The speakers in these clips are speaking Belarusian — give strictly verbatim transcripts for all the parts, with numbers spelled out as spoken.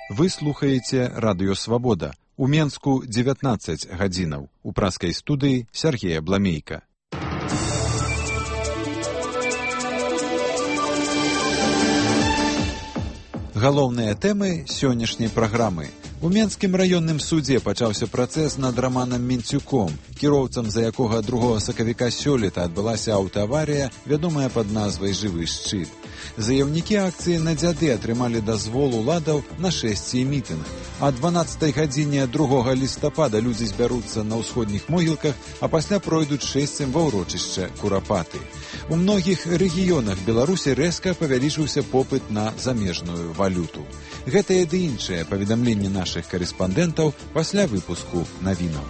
Вы слухаеце Радыё Свабода. У Менску дзевятнаццаць гадзінаў. У праскай студыі Сергея Бламейка. Галоўныя тэмы сённяшняй праграмы. У Менскім раённым судзе пачаўся працэс над Раманам Менцюком, кіроўцам за якога другога сакавіка сёлета адбылася аўтааварыя, вядомая пад назвай «Жывы шчыт». Заяўнікі акцыі на дзяды атрымалі дазвол уладаў на шэсце і мітынг. А дванаццатай гадзіне другога лістапада людзі збяруцца на ўсходніх могілках, а пасля пройдуць шэсцем ва ўрочышча Курапаты. У многіх рэгіёнах Беларусі рэзка павялічыўся попыт на замежную валюту. Гэтае ды іншае паведамленне нашых карэспандэнтаў пасля выпуску навінаў.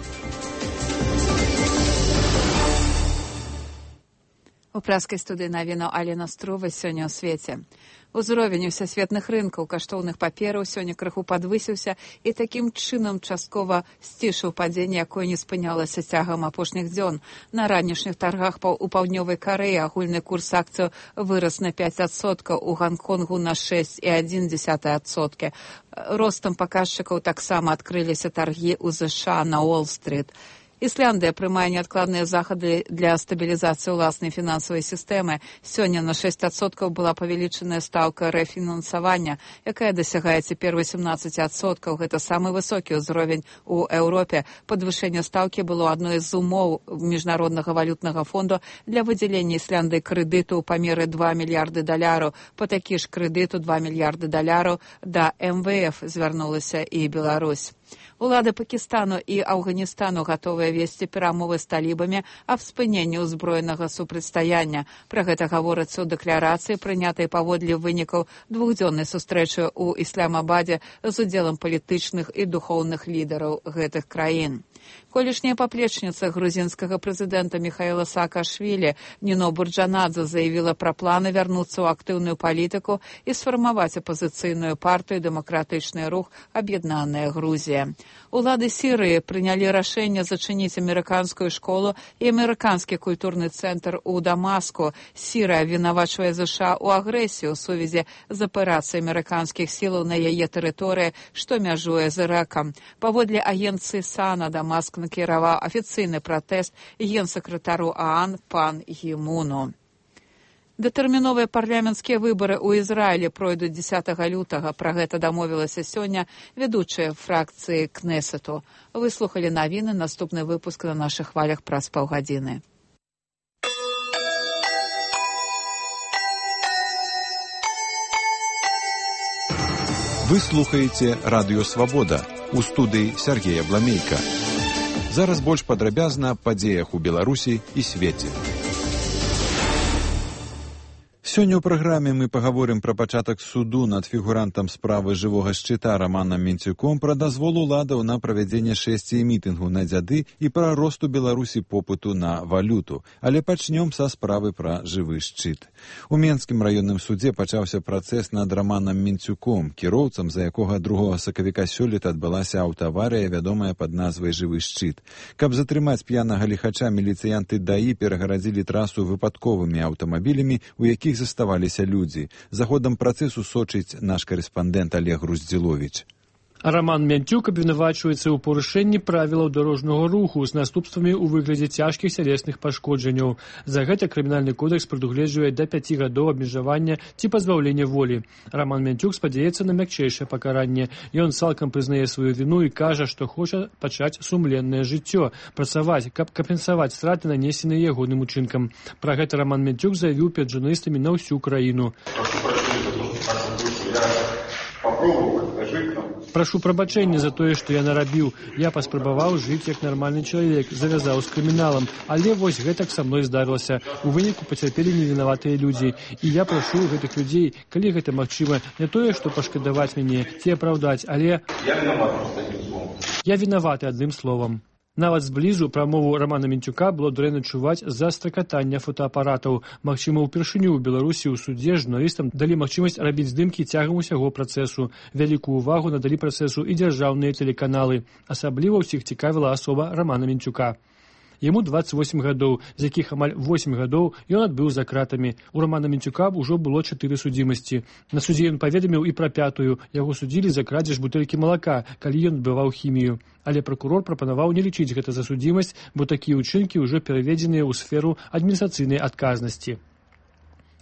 У праскай студыі навінаў Алена Струва сёння ў свеце. Узровень усесветных рынкаў каштоўных папераў сёння крыху падвысіўся і такім чынам часткова сцішыў падзенне, якое не спынялася цягам апошніх дзён. На ранішніх таргах у паўднёвай Карэі агульны курс акцыяў вырас на пяць адсоткаў, у Ганконгу на шэсць і адзін дзесятая адсоткі. Ростам паказчыкаў таксама адкрыліся таргі ў ЗША на Уолл-стрыт. Ісляндыя прымае неадкладныя захады для стабілізацыі ўласнай фінансавай сістэмы. Сёння на шэсць адсоткаў была павелічаная стаўка рэфінансавання, якая дасягае цяпер васемнаццаць адсоткаў. Гэта самы высокі ўзровень у Еўропе. Падвышэнне стаўкі было адной з умоў Міжнароднага валютнага фонду для выдзялення Ісляндыі крэдыту ў памеры два мільярды даляраў. Па такі ж крэдыту два мільярды даляраў да эм вэ эф звярнулася і Беларусь. Улады Пакістану і Афганістану гатовыя весці перамовы з талібамі аб спыненні ўзброенага супрацьстаяння. Пра гэта гаворыцца ў дэкларацыі, прынятай паводле вынікаў двухдзённай сустрэчы ў Ісламабадзе з удзелам палітычных і духоўных лідараў гэтых краін. Колішняя паплечніца грузінскага прэзідэнта Міхаіла Саакашвілі Ніно Бурджанадзе заявіла пра планы вярнуцца ў актыўную палітыку і сфармаваць апазіцыйную партыю «Дэмакратычны рух. Аб'яднаная Грузія». Улады Сірыі прынялі рашэнне зачыніць амерыканскую школу і амерыканскі культурны цэнтр у Дамаску. Сірыя вінавачвае ЗША ў агрэсіі ў сувязі з аперацыяй амерыканскіх сілаў на яе тэрыторыі, што мяжуе з Іракам. Паводле агенцыі САНА Дамаск накіраваў афіцыйны пратэст генсакратару ААН пан Гімуну. Дэтэрміновыя парламенцкія выбары ў Ізраілі пройдуць дзесятага лютага. Пра гэта дамовілася сёння вядучая фракцыі Кнесету. Вы слухалі навіны, наступны выпуск на нашых хвалях праз паўгадзіны. Вы слухаеце Радыё Свабода. У студыі Сергея Бламейка. Зараз больш падрабязна аб падзеях у Беларусі і свеце. Сёння ў праграме мы пагаворым пра пачатак суду над фігурантам справы жывога шчыта Раманам Менцюком, пра дазвол уладаў на правядзенне шэсці мітынгу на дзяды і пра рост у Беларусі попыту на валюту. Але пачнём са справы пра жывы шчыт. У Менскім раённым судзе пачаўся працэс над Раманам Менцюком, кіроўцам, за якога другога сакавіка сёлета адбылася аўтааварыя, вядомая пад назвай «Жывы шчыт». Каб затрымаць п'янага ліхача, міліцыянты ДАІ перагарадзілі трасу выпадковымі аўтамабілямі, у якіх заставаліся людзі. За ходам працэсу сочыць наш карэспандэнт Олег Груздзіловіч. Раман Менцюк абвінавачваецца ў парушэнні правілаў дарожнага руху з наступствамі ў выглядзе цяжкіх цялесных пашкоджанняў. За гэта крымінальны кодэкс прадугледжвае да пяці гадоў абмежавання ці пазбаўлення волі. Раман Менцюк спадзяецца на мякчэйшае пакаранне. Ён цалкам прызнае сваю віну і кажа, што хоча пачаць сумленнае жыццё, працаваць, каб кампенсаваць страты, нанесеныя ягоным учынкам. Пра гэта Раман Менцюк заявіў перад журналістамі на ўсю краіну. Прашу прабачэння за тое, што я нарабіў. Я паспрабаваў жыць як нармальны чалавек, завязаў з крыміналам, але вось гэтак са мной здарылася. У выніку пацярпелі невінаватыя людзі. І я прашу гэтых людзей, калі гэта магчыма, не тое, што пашкадаваць мяне ці апраўдаць, але я вінаваты адным словам. Нават зблізу прамову Рамана Менцюка было дрэнна чуваць з-за стракатання фотоапаратаў. Магчыма, упершыню ў Беларусі ў судзе журналістам далі магчымасць рабіць здымкі цягам усяго працэсу. Вялікую ўвагу надалі працэсу і дзяржаўныя тэлеканалы. Асабліва ўсіх цікавіла асоба Рамана Менцюка. Яму дваццаць восем гадоў, з якіх амаль восем гадоў ён адбыў за кратамі. У Романа Мінцюка ўжо было чатыры судзімасці. На судзе ён паведаміў і пра пятую. Яго судзілі за крадзеж бутэлькі малака, калі ён адбываў хімію. Але пракурор прапанаваў не лічыць гэта за судзімасць, бо такія ўчынкі ўжо пераведзеныя ў сферу адміністрацыйнай адказнасці.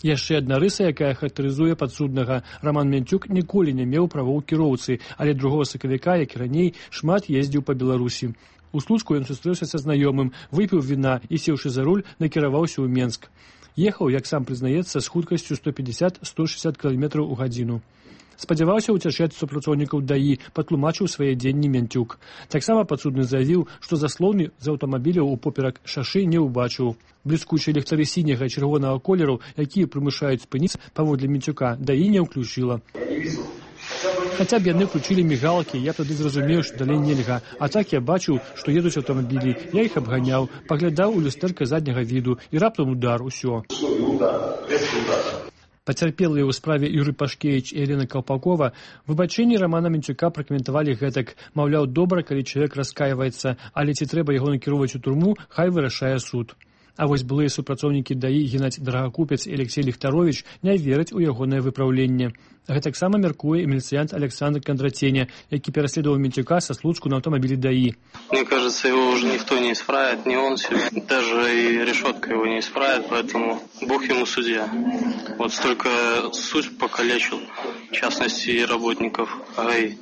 Яшчэ адна рыса, якая характарызуе падсуднага. Роман Мінцюк ніколі не меў правоў кіроўцы, але другога сакавіка, як і раней, шмат ездзіў па Беларусі. У Слуцку ён сустрэўся са знаёмым, выпіў віна і, сеўшы за руль, накіраваўся ў Менск. Ехаў, як сам прызнаецца, з хуткасцю сто пятьдесят - сто шестьдесят кіламетраў у гадзіну. Спадзяваўся ўцячаць супрацоўнікаў ДАІ, патлумачыў свае дзенні Мінцюк. Таксама падсудны заявіў, што заслоны з аўтамабіляў упоперак шашы не ўбачыў. Бліскучыя ліхтары сіняга і чырвонага колераў, якія прымушаюць спыніцца паводле Мінцюка, ДАІ не ўключыла. Хаця б яны включілі мігалкі, я тады зразумеў, што далей нельга. А так я бачыў, што едуць аўтамабілі. Я іх абганяў, паглядаў у люстэрка задняга віду і раптам удар, усё. Пацярпелыя ў справе Юрый Пашкевіч і Елена Калпакова выбачэнні Романа Мінцюка пракаментавалі гэтак. Маўляў, добра, калі чалавек раскайваецца, але ці трэба яго накіроўваць у турму, хай вырашае суд. А вось былыя супрацоўнікі ДАІ Геннадзь Драгакупец і Алексей Ліхтарович не вераць у ягонае выпраўленне. Гэтаксама мяркуе і міліцыянт Александр Кондратеня, які пераследаваў Мінцюка са Слуцку на аўтамабілі ДАИ. Мне кажется, его уже никто не исправит, ни он себе, даже и решетка его не исправит, поэтому Бог ему судья. Вот столько суть покалечил, в частности, и работников ГАИ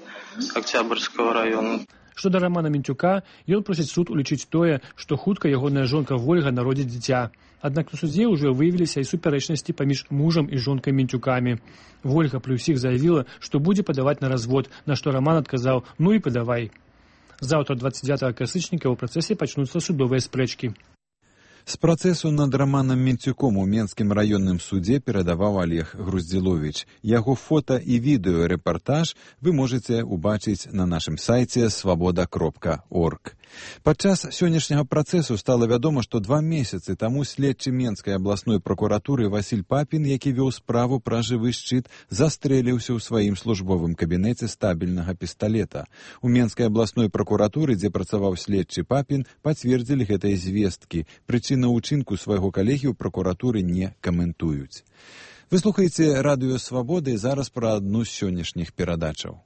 Октябрьского района. Што да Романа Мінцюка, ён просіць суд улічыць тое, што хутка ягоная жонка Вольга народзіць дзіця. Аднак на судзе ўжо выявіліся і супярэчнасці паміж мужам і жонкай Мінцюкамі. Вольга пры ўсіх заявіла, што будзе падаваць на развод, на што Роман адказаў: «Ну і падавай». Заўтра дваццаць дзевятага кастрычніка ў працэсе пачнуцца судовыя спрэчкі. З працэсу над Романам Мінцюком у Менскім раённым судзе перадаваў Олег Груздзіловіч. Яго фота і відэорэпартаж вы можаце ўбачыць на нашым сайце свабода кропка орг. Падчас сённяшняга працэсу стала вядома, што два месяцы таму следчы Менскай абласной пракуратуры Васіль Папін, які вёў справу пра жывы шчыт, застрэліўся ў сваім службовым кабінеце стабільнага пісталета. У Менскай абласной пракуратуры, дзе працаваў следчы Папін, пацвердзілі гэтыя звесткі. Прычына ўчынку свайго калегі ў пракуратуры не каментуюць. Вы слухаеце радыё Свабоды, зараз пра адну з сённяшніх перадачаў.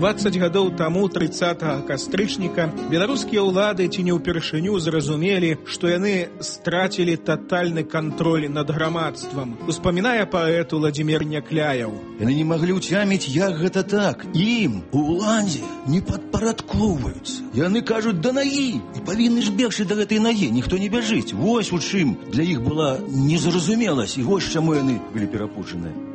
дваццаць гадоў таму, трыццатага кастрычніка, беларускія ўлады ці не ўпершыню зразумелі, што яны страцілі татальны кантроль над грамадствам. Успамінае паэт Уладзімір Някляяў. Яны не маглі ўцяміць, як гэта так. Ім, у ўладзе, не падпарадкоўваюцца. Яны кажуць, да нагі, і павінны ж бегчы да гэтай нагі, ніхто не бяжыць. Вось у чым для іх была незразумеласць, і вось чаму яны былі перапушаныя.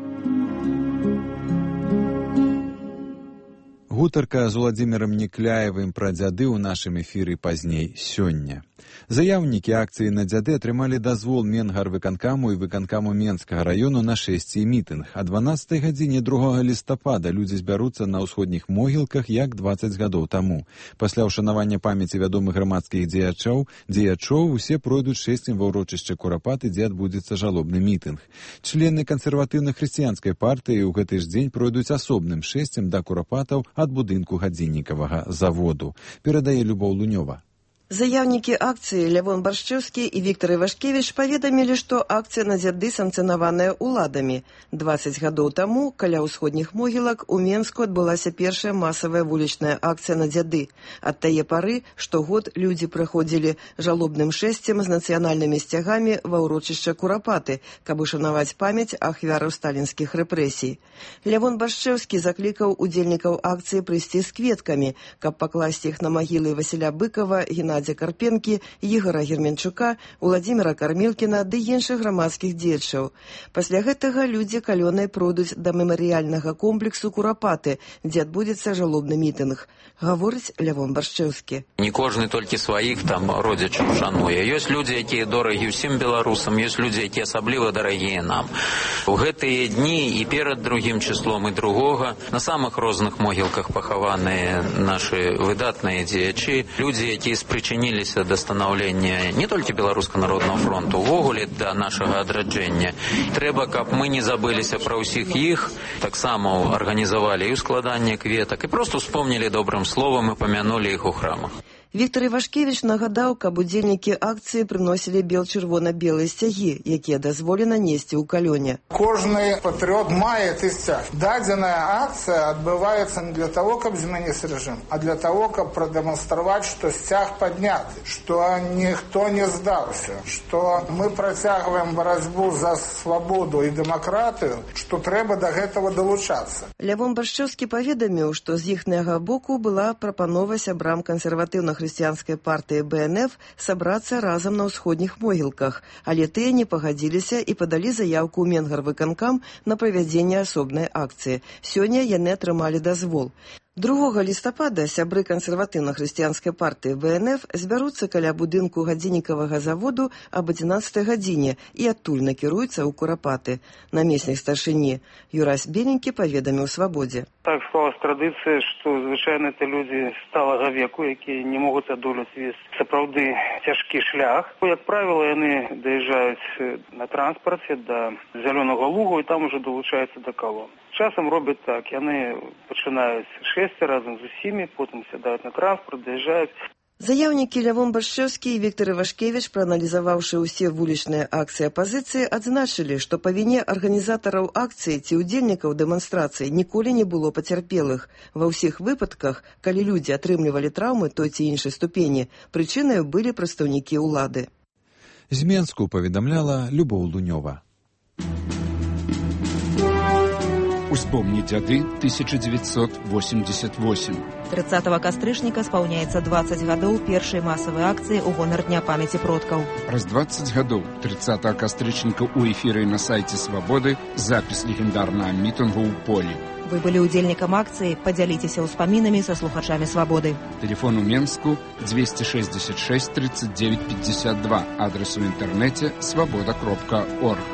Гутарка з Уладзімірам Някляевым пра дзяды ў нашым эфіры пазней сёння. Заяўнікі акцыі на дзяды атрымалі дазвол Менгарвыканкаму і выканкаму Менскага раёну на шэсце і мітынг. А дванаццатай гадзіне другога лістапада людзі збяруцца на ўсходніх могілках, як дваццаць гадоў таму. Пасля ўшанавання памяці вядомых грамадскіх дзеячоў, дзеячоў усе пройдуць шэсцем ва ўрочышча Курапаты, дзе адбудзецца жалобны мітынг. Члены кансерватыўна-хрысціянскай партыі ў гэты ж дзень пройдуць асобным шэсцем да Курапатаў ад будынку гадзіннікавага заводу. Перадае Любоў Лунёва. Заяўнікі акцыі Лявон Баршчэўскі і Віктор Івашкевіч паведамілі, што акцыя на дзяды санкцыянаваная ўладамі. дваццаць гадоў таму каля ўсходніх могілак у Менску адбылася першая масавая вулічная акцыя на дзяды. Ад тае пары штогод людзі прыходзілі жалобным шэсцем з нацыянальнымі сцягамі ва ўрочышча Курапаты, каб ушанаваць памяць ахвяраў сталінскіх рэпрэсій. Лявон Баршчэўскі заклікаў удзельнікаў акцыі прыйсці з кветкамі, каб пакласці іх на магілы Васіля Быкова, Геннадзя Карпенкі, Ігора Герменчука, Уладзіміра Кармілкіна ды іншых грамадскіх дзеячаў. Пасля гэтага людзі калёнай пройдуць да мемарыяльнага комплексу Курапаты, дзе адбудзецца жалобны мітынг. Гаворыць Лявон Баршчэўскі. Не кожны толькі сваіх там родзічаў шануе. Ёсць людзі, якія дорагі ўсім беларусам, ёсць людзі, якія асабліва дарагія нам. У гэтыя дні і перад другім числом і другога на самых розных могілках пахаваныя нашы выдатныя дзеячы, людзі, якія з прычыны прычыніліся да станаўлення не толькі Беларускага народнага фронту, увогуле да нашага адраджэння. Трэба, каб мы не забыліся пра ўсіх іх, таксама арганізавалі і складанне кветак, і проста успомнілі добрым словам і памянулі іх у храмах. Віктор Івашкевіч нагадаў, каб удзельнікі акцыі прыносілі бел-чырвона-белыя сцягі, якія дазволена несці ў калёне. Кожны патрыот мае ты сцяг. Дадзеная акцыя адбываецца не для того, каб змяніць рэжым, а для того, каб прадэманстраваць, што сцяг падняты, што ніхто не здаўся, што мы працягваем барацьбу за свабоду і дэмакратыю, што трэба да гэтага далучацца. Лявон Баршчэўскі паведаміў, што з іхняга боку была прапанова сябрам кансерватыўна хрысціянскай партыі бэ эн эф сабрацца разам на ўсходніх могілках, але тыя не пагадзіліся і падалі заяўку ў Менгарвыканкам на правядзенне асобнай акцыі. Сёння яны атрымалі дазвол. другога лістапада сябры кансерватыўна-хрысціянскай партыі бэ эн эф збяруцца каля будынку гадзіннікавага заводу аб адзінаццатай гадзіне і адтуль накіруюцца ў Курапаты. Намеснік старшыні Юрась Беленькі паведаміў Свабодзе. Так склалась традыцыя, што звычайна это людзі сталага веку, якія не могуць адолець весь сапраўды цяжкі шлях. Як правіла, яны даязджаюць на транспарце да Зялёнага лугу і там ужо далучаюцца да калон. Часам робяць так, яны пачынаюць шэсці разам з усімі, потым сядаюць на транспарт, даязджаюць. Заяўнікі Лявон Баршчэўскі і Віктор Івашкевіч, прааналізаваўшы ўсе вулічныя акцыі апазіцыі, адзначылі, што па віне арганізатараў акцыі ці ўдзельнікаў дэманстрацыі ніколі не было пацярпелых. Ва ўсіх выпадках, калі людзі атрымлівалі траўмы той ці іншай ступені, прычынай былі прадстаўнікі ўлады. З Менску паведамляла Любоў Лунёва. Успомни дзяды тысяча девятьсот восемьдесят восемь. тридцатого кастрычніка спаўняецца двадцать гадоў першай масавай акцыі ў гонар Дня памяці продкаў. Праз двадцать гадоў тридцатого кастрычніка ў эфіры на сайце Свабоды запіс легендарнага мітынгу ў полі. Вы былі ўдзельнікам акцыі, падзяліцеся ўспамінамі са слухачамі Свабоды. Телефон у Менску двести шестьдесят шесть тридцать девять пятьдесят два, адрес у інтэрнэце свабода кропка орг.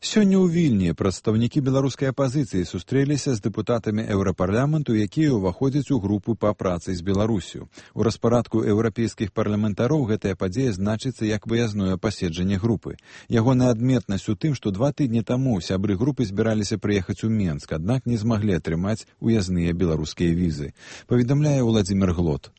Сёння ў Вільні прадстаўнікі беларускай апазіцыі сустрэліся з дэпутатамі еўрапарламенту, якія ўваходзяць у групу па працы з Беларусю. У распарадку еўрапейскіх парламентароў гэтая падзея значыцца як выязное паседжанне групы. Ягоная адметнасць у тым, што два тыдні таму сябры групы збіраліся прыехаць у Менск, аднак не змаглі атрымаць уязныя беларускія візы. Паведамляе Владзімір Глот.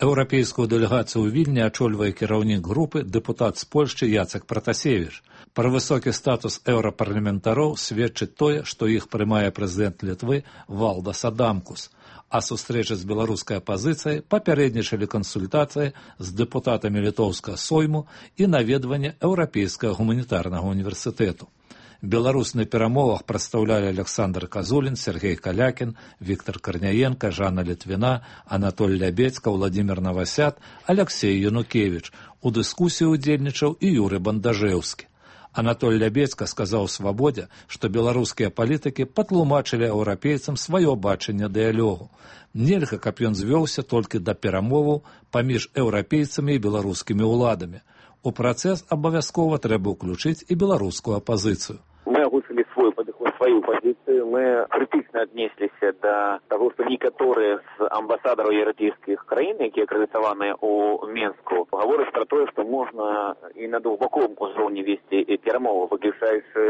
Еўрапейскую дэлегацыю ў Вільні ачольвае кіраўнік групы дэпутат з Польшчы Яцек Пратасевіч. Пра высокі статус еўрапарламентароў сведчыць тое, што іх прымае прэзідэнт Літвы Валдас Адамкус. А сустрэчы з беларускай апазіцыяй папярэднічалі кансультацыі з дэпутатамі літоўскага сойму і наведванне Еўрапейскага гуманітарнага універсітэту. Беларусь на перамовах прадстаўлялі Александр Казулін, Сергей Калякін, Віктор Карняенко, Жанна Літвіна, Анатоль Лябецька, Владимир Новосят, Алексей Янукевич. У дыскусіі ўдзельнічаў і Юры Бандажэўскі. Анатоль Лябецька сказаў Свабодзе, што беларускія палітыкі патлумачылі еўрапейцам сваё бачанне дыялогу. Нельга, каб ён звёўся толькі да перамоваў паміж еўрапейцамі і беларускімі ўладамі. У працэс абавязкова трэба ўключыць і беларускую апазіцыю. Мы агучылі свой падыход, сваю пазіцыю. Мы крытычна аднесліся да таго, што некаторыя з амбасадараў еўрапейскіх краін, якія акрэдытаваныя ў Менску, гавораць пра тое, што можна і на двухбаковым узроўні весці перамовы, выключаючы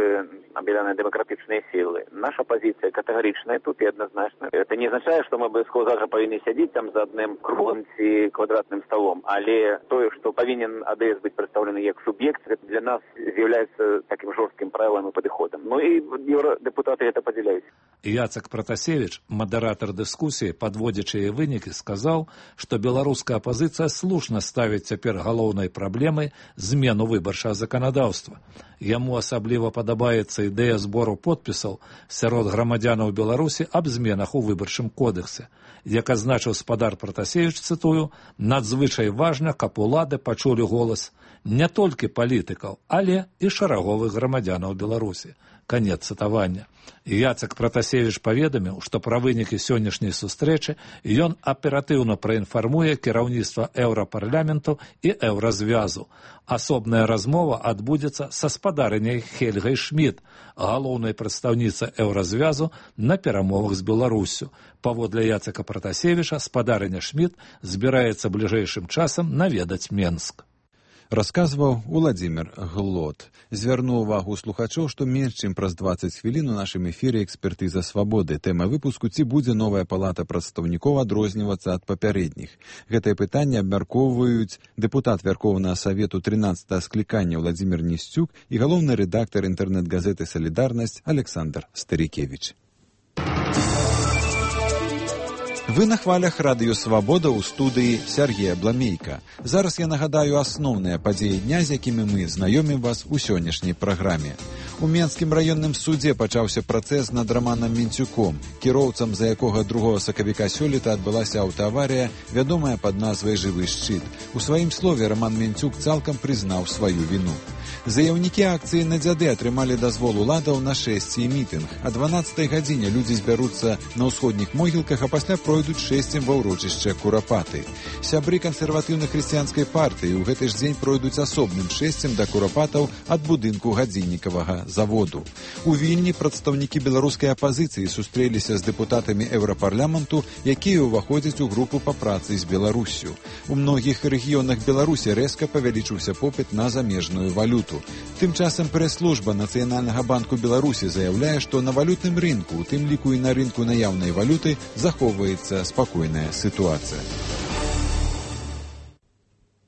аб'яднаныя дэмакратычныя сілы. Наша пазіцыя катэгарычная тут і адназначная. Это не азначае, што мы абавязкова зараз павінны сядзець там за адным круглым ці квадратным сталом, але тое, што павінен а дэ эс быць прадстаўлены як суб'ект, для нас з'яўляецца такім жорсткім правілам і падыходам. Ну і еўрадэпутаты гэта падзяляюць. Яцек Пратасевіч, мадэратар дыскусіі, падводзячы яе вынікі, сказаў, што беларуская апазіцыя слушна ставіць цяпер галоўнай праблемай змену выбарчага заканадаўства. Яму асабліва падабаецца ідэя збору подпісаў сярод грамадзянаў Беларусі аб зменах у выбарчым кодексе. Як адзначыў спадар Пратасевіч, цытую, надзвычай важна, каб улады пачулі голас не толькі палітыкаў, але і шараговых грамадзянаў Беларусі. Канец цытавання. Яцек Пратасевіч паведаміў, што пра вынікі сённяшняй сустрэчы ён аператыўна праінфармуе кіраўніцтва Еўрапарламенту і Еўразвязу. Асобная размова адбудзецца са спадарыняй Хельгай Шмідт, галоўнай прадстаўніцай Еўразвязу на перамовах з Беларуссю. Паводле Яцека Пратасевіча, спадарыня Шмідт збіраецца бліжэйшым часам наведаць Менск. Расказваў Уладзімір Глот. Звярнуў увагу слухачоў, што менш чым праз дваццаць хвілін у нашым эфіры экспертыза свабоды. Тэма выпуску: ці будзе новая палата прадстаўнікоў адрознівацца ад папярэдніх. Гэтае пытанне абмяркоўваюць дэпутат Вярхоўнага Савету трынаццатага склікання Уладзімір Нісцюк і галоўны рэдактар інтэрнэт-газеты «Салідарнасць» Александр Старікевіч. Вы на хвалях радыё «Свабода» ў студыі Сергея Бламейка. Зараз я нагадаю асноўныя падзеі дня, з якімі мы знаёмім вас у сённяшняй праграме. У Менскім раённым судзе пачаўся працэс над Раманам Мінцюком, кіроўцам, за якога другога сакавіка сёлета адбылася аўтааварыя, вядомая пад назвай «Жывы шчыт». У сваім слове Раман Мінцюк цалкам прызнаў сваю віну. Заяўнікі акцыі на дзяды атрымалі дазвол уладаў на шэсце і мітынг. А дванаццатай гадзіне людзі збяруцца на ўсходніх могілках, а пасля пройдуць шэсцем ва ўрочышча Курапаты. Сябры кансерватыўна-хрысціянскай партыі ў гэты ж дзень пройдуць асобным шэсцем да Курапатаў ад будынку гадзіннікавага заводу. У Вільні прадстаўнікі беларускай апазіцыі сустрэліся з дэпутатамі Еўрапарламенту, якія ўваходзяць у групу па працы з Беларуссю. У многіх рэгіёнах Беларусі рэзка павялічыўся попыт на замежную валюту. Тым часам прэс-служба Нацыянальнага банку Беларусі заяўляе, што на валютным рынку, у тым ліку і на рынку наяўнай валюты, захоўваецца спакойная сітуацыя.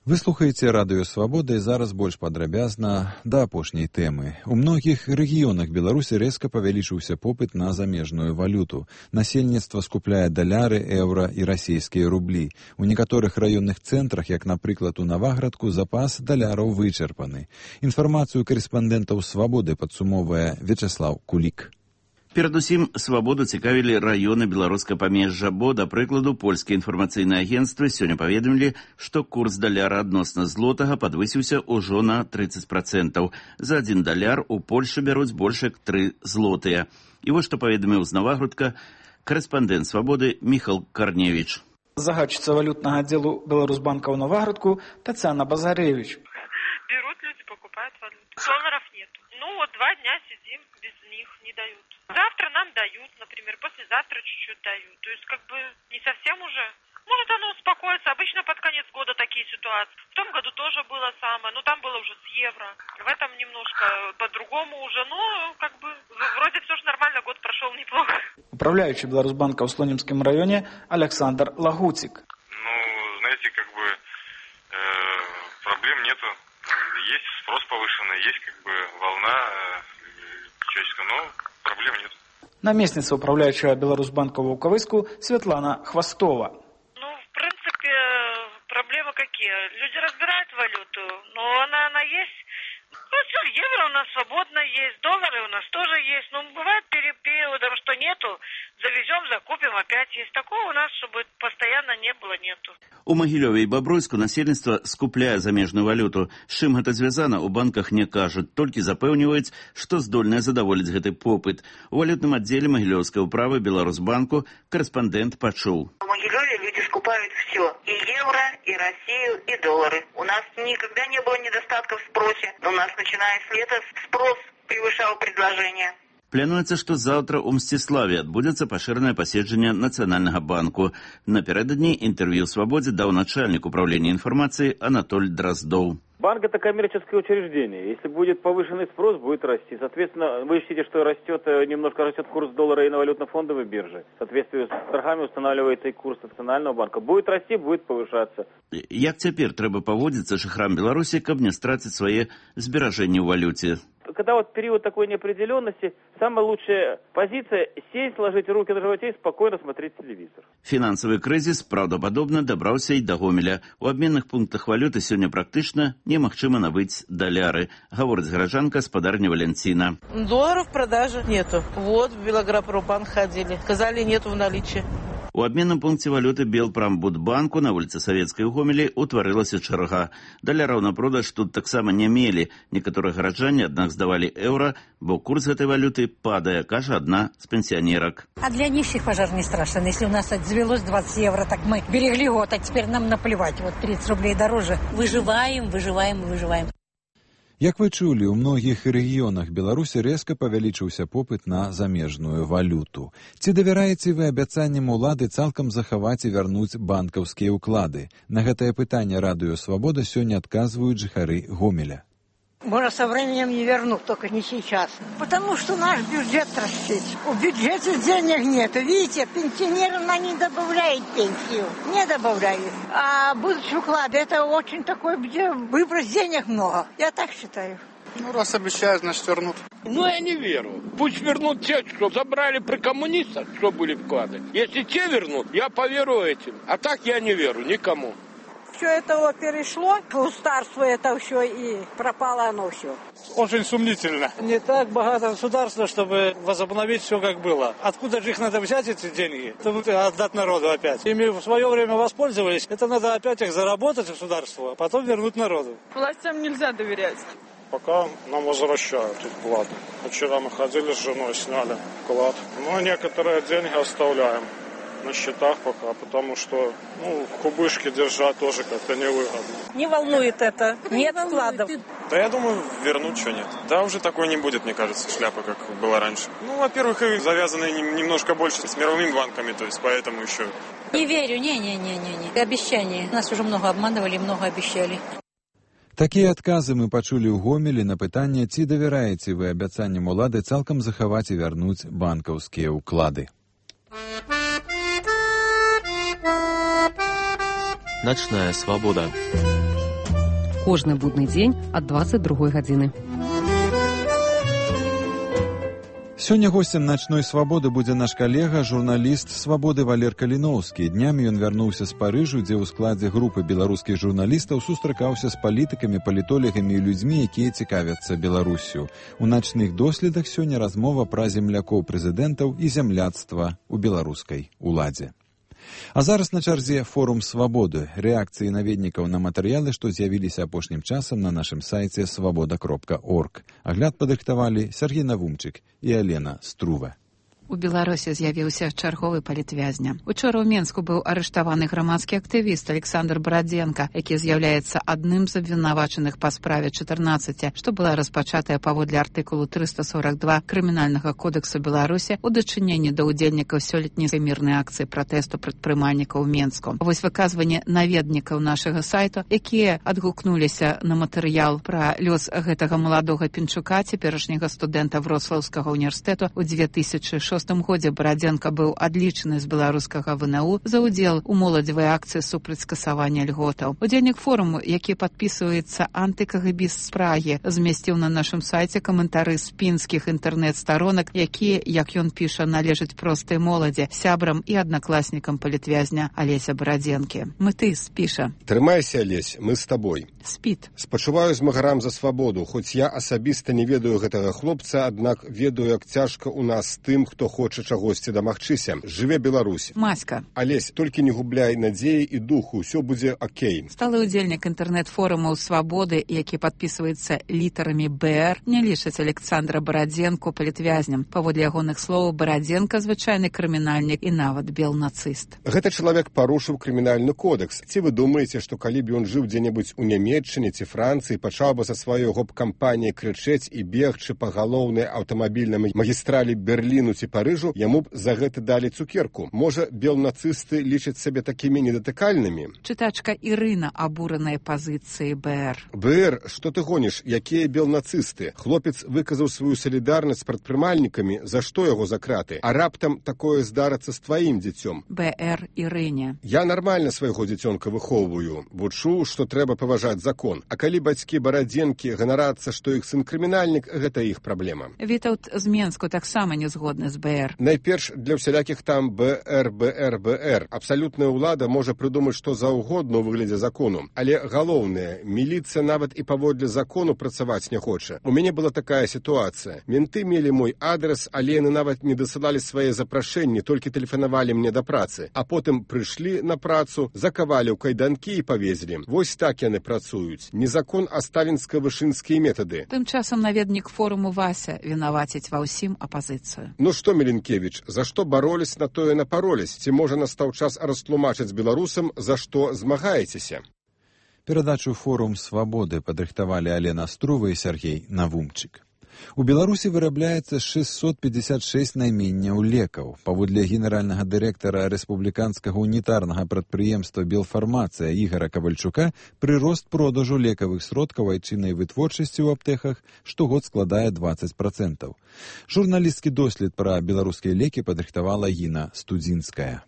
Вы слухаеце радыё «Свабода» і зараз больш падрабязна да апошняй тэмы. У многіх рэгіёнах Беларусі рэзка павялічыўся попыт на замежную валюту. Насельніцтва скупляе даляры, еўра і расійскія рублі. У некаторых раённых цэнтрах, як, напрыклад, у Наваградку, запас даляраў вычарпаны. Інфармацыю карэспандэнтаў «Свабоды» падсумоўвае Вячеслав Кулік. Перадусім, «Свабоду» цікавілі раёны беларускага памежжа, бо, да прыкладу, польскія інфармацыйныя агенцтвы сёння паведамілі, што курс даляра адносна злотага падвысіўся ўжо на трыццаць працэнтаў. За адзін даляр у Польшы бяруць больш як тры злотыя. І вось што паведаміў з Наваградка карэспандэнт «Свабоды» Міхал Карневіч. Загадчыца валютнага аддзелу Беларусбанка ў Наваградку Тацяна Базаревич. Берут люди, покупают валюту. Долларов нет. Ну вот два дня сидим, без них не дают. Завтра нам дают, например, послезавтра чуть-чуть дают. То есть как бы не совсем уже. Может оно успокоится. Обычно под конец года такие ситуации. В том году тоже было самое, но там было уже с евро. В этом немножко по-другому уже, но как бы вроде все же нормально, год прошел неплохо. Управляющий Беларусбанка в Слонимском районе Александр Лагутик. Ну, знаете, как бы э, проблем нету. Есть спрос повышенный, есть как бы волна э, человеческая, но проблем нет. Наместница управляющего Беларусбанка в Луковыску Светлана Хвостова. Ну, в принципе, проблемы какие? Люди разбирают валюту, но она, она есть. Ну, все, евро у нас свободно есть, доллары у нас тоже есть. Но бывает периодом, что нету, завезем, закупим, опять есть. Такого у нас, чтобы постоянно не было, нету. У Магілёве і Бабруйску насельніцтва скупляе замежную валюту. З чым гэта звязана, у банках не кажуць, толькі запэўніваюць, што здольныя задаволіць гэты попыт. У валютным аддзеле Магілёўскай управы Беларусбанку карэспандэнт пачуў. В Могилеве люди скупают все. И евро, и Россию, и доллары. У нас никогда не было недостатков в спросе. Но у нас, начиная с лета, спрос превышал предложение. Плануецца, што заўтра ў Мсціславе адбудзецца пашыранае паседжанне Нацыянальнага банку. Напярэдадні інтэрв'ю «Свабодзе» даў начальнік управлення інфармацыі Анатоль Дроздоў. Банк – это коммерческое учреждение. Если будет повышенный спрос, будет расти. Соответственно, вы ищете, что растет, немножко растет курс доллара и на валютно-фондовой бирже. В соответствии с торгами устанавливается и курс Национального банка. Будет расти, будет повышаться. Як цяпер трэба паводзіцца жыхарам Беларусі, каб не страціць свае зберажэнні ў валюце? Когда вот период такой неопределенности, самая лучшая позиция – сесть, сложить руки на животе и спокойно смотреть телевизор. Фінансавы крызіс, праўдападобна, дабраўся і да Гомеля. У абменных пунктах валюты сёння практычна немагчыма набыць даляры, гаворыць гараджанка спадарня Валентина. Долларов в продаже нету. Вот в Белагропромбанк ходили. Сказали, нету в наличии. У абменным пункце валюты Белпрамбудбанку на вуліцы Савецкай у Гомелі утварылася чарга. Даляраў на продаж тут таксама не мелі. Некаторыя гараджане, аднак, здавалі еўра, бо курс гэтай валюты падае, кажа одна з пенсионерок. А для нищих пожар не страшен. Если у нас отзвелось двадцать евро, так мы берегли год, а теперь нам наплевать. Вот тридцать рублей дороже. Выживаем, выживаем, выживаем. Як вы чулі, у многіх рэгіёнах Беларусі рэзка павялічыўся попыт на замежную валюту. Ці давяраеце вы абяцанням улады цалкам захаваць і вярнуць банкаўскія ўклады? На гэтае пытанне Радыё Свабода сёння адказваюць жыхары Гомеля. Может, со временем не вернут, только не сейчас. Потому что наш бюджет растет. У бюджета денег нет. Видите, пенсионерам она не добавляет пенсию. Не добавляет. А будущий уклад, это очень такой, где выброс денег много. Я так считаю. Ну, раз обещают, значит, вернут. Ну, я не верю. Пусть вернут те, что забрали при коммунистах, что были вклады. Если те вернут, я поверю этим. А так я не верю никому. Все это перешло, государство это все и пропало оно все. Очень сомнительно. Не так богато государства, чтобы возобновить все как было. Откуда же их надо взять, эти деньги? Чтобы отдать народу опять. Ими в свое время воспользовались, это надо опять их заработать государству, а потом вернуть народу. Властям нельзя доверять. Пока нам возвращают вклад. Вчера мы ходили с женой, сняли вклад. Но некоторые деньги оставляем на счетах пока, потому что ну, кубышки держать тоже как-то невыгодно. Не волнует это, нет вкладов. Да я думаю, вернуть что нет. Да, уже такой не будет, мне кажется, шляпа, как была раньше. Ну, во-первых, и завязаны немножко больше с мировыми банками, то есть поэтому еще... Не верю, не-не-не-не. Обещания. Нас уже много обманывали, много обещали. Такія адказы мы пачулі ў Гомелі на пытанне, ці давяраеце вы абяцанням улады цалкам захаваць і вярнуць банкаўскія ўклады. Ночная свобода. Кожны будны дзень ад дваццаць другой гадзіны. Сёння гостем «Ночной свободы» будзе наш калега, журналіст «Свабоды» Валер Каліноўскі. Днямі ён вярнуўся з Парыжу, дзе ў складзе групы беларускіх журналістаў сустракаўся з палітыкамі, палітолегамі і людзьмі, якія цікавяцца Беларуссю. У начных доследах сёння размова пра землякоў прэзідэнтаў і зямляцтва ў беларускай уладзе. А зараз на чарзе форум «Свабоды», рэакцыі наведнікаў на матэрыялы, што з'явіліся апошнім часам на нашым сайце свабода кропка орг. Агляд падрыхтавалі Сергей Навумчык і Алена Струва. У Беларусі з'явіўся чарговы палітвязня. Учора ў Менску быў арыштаваны грамадскі актывіст Александр Бородзенко, які з'яўляецца адным з абвінавачаных па справе чатырнаццаці, што была распачатая паводле артыкулу трыста сорок два Крымінальнага кодексу Беларусі ў дачыненні да ўдзельнікаў сёлетняй мірнай акцыі пратэсту прадпрымальнікаў у Менску. Вось выказванне наведнікаў нашага сайту, якія адгукнуліся на матэрыял пра лёс гэтага маладога Пінчука, цяперашняга студэнта Вроцлаўскага універсітэту ў дзве тысячы шостым годзе. Бородзенко быў адлічаны з беларускага вэ эн у за ўдзел у моладзевай акцыі супраць скасавання льготаў. Удзельнік форуму, які падпісваецца антыкагбіс з Прагі, змясціў на нашым сайце каментары з пінскіх інтэрнэт-старонак, якія, як ён піша, належаць простай моладзі, сябрам і аднакласнікам палітвязня Алеся Бородзенкі. Мытыс піша: «Трымайся, Алесь, мы з табой. Спіт. Спачуваю змагарам за свабоду, хоць я асабіста не ведаю гэтага хлопца, аднак ведаю, як цяжка ў нас тым, хто хоча чагосьці дамагчыся. Жыве Беларусь. Маська. Алесь, толькі не губляй надзеі і духу, ўсё будзе окей». Сталы ўдзельнік інтэрнэт-форумаў «Свабоды», які падпісваецца літарамі бэ эр, не лічыць Александра Бородзенко палітвязням. Паводле ягоных словаў, Бородзенко звычайны крымінальнік і нават белнацыст. Гэта чалавек парушыў крымінальны кодекс. Ці вы думаеце, што калі б ён жыў дзе-небудзь у Нямецчыне ці Францыі, пачаў бы са сваёй гоп-кампаніяй крычэць і бегчы па галоўнай аўтамабільнай магістралі Берліну ці Парыжу, яму б за гэта далі цукерку. Можа, белнацысты лічаць сабе такімі недатыкальнымі? Чытачка Ірына абураная пазіцыі бэ эр. бэ эр, што ты гоніш? Якія белнацысты? Хлопец выказаў сваю салідарнасць з прадпрымальнікамі, за што яго за краты? А раптам такое здарыцца з тваім дзіцём? бэ эр Ірыне. Я нармальна свайго дзіцёнка выхоўваю. Вучу, што трэба паважаць закон. А калі бацькі Бородзенкі ганарацца, што іх сын крымінальнік, гэта іх праблема. Вітаўт з Менску таксама не згодны з бэ БР. Найперш для всялякіх там БР, БР, БР. Абсалютная ўлада можа прыдумаць што заўгодна ў выглядзе закону. Але галоўнае, міліцыя нават і паводле закону працаваць не хоча. У мяне была такая сітуацыя. Менты мелі мой адрес, але яны нават не дасылалі свае запрашэнні, толькі тэлефанавалі мне да працы. А потым прыйшлі на працу, закавалі ў кайданкі і павезлі. Вось так яны працуюць. Не закон, а сталінска-вышынскія метады. Тым часам наведнік форуму Вася вінаваціць ва ўсім апазіцыю. Ну што, Меленкевіч, за што баролись, на тое напаролись? Ці можа настаў час растлумачыць беларусам, за што змагаецеся? Перадачу «Форум свабоды» падрыхтавалі Алена Струва і Сергей Навумчык. У Беларусі вырабляецца шестьсот пятьдесят шесть найменняў лекаў. Паводле генеральнага дырэктара рэспубліканскага унітарнага прадпрыемства «Белфармацыя» Ігора Кавальчука, прырост продажу лекавых сродкаў айчыннай вытворчасці ў аптэках штогод складае двадцать процентов. Журналістскі дослед пра беларускія лекі падрыхтавала Гіна Студзінская.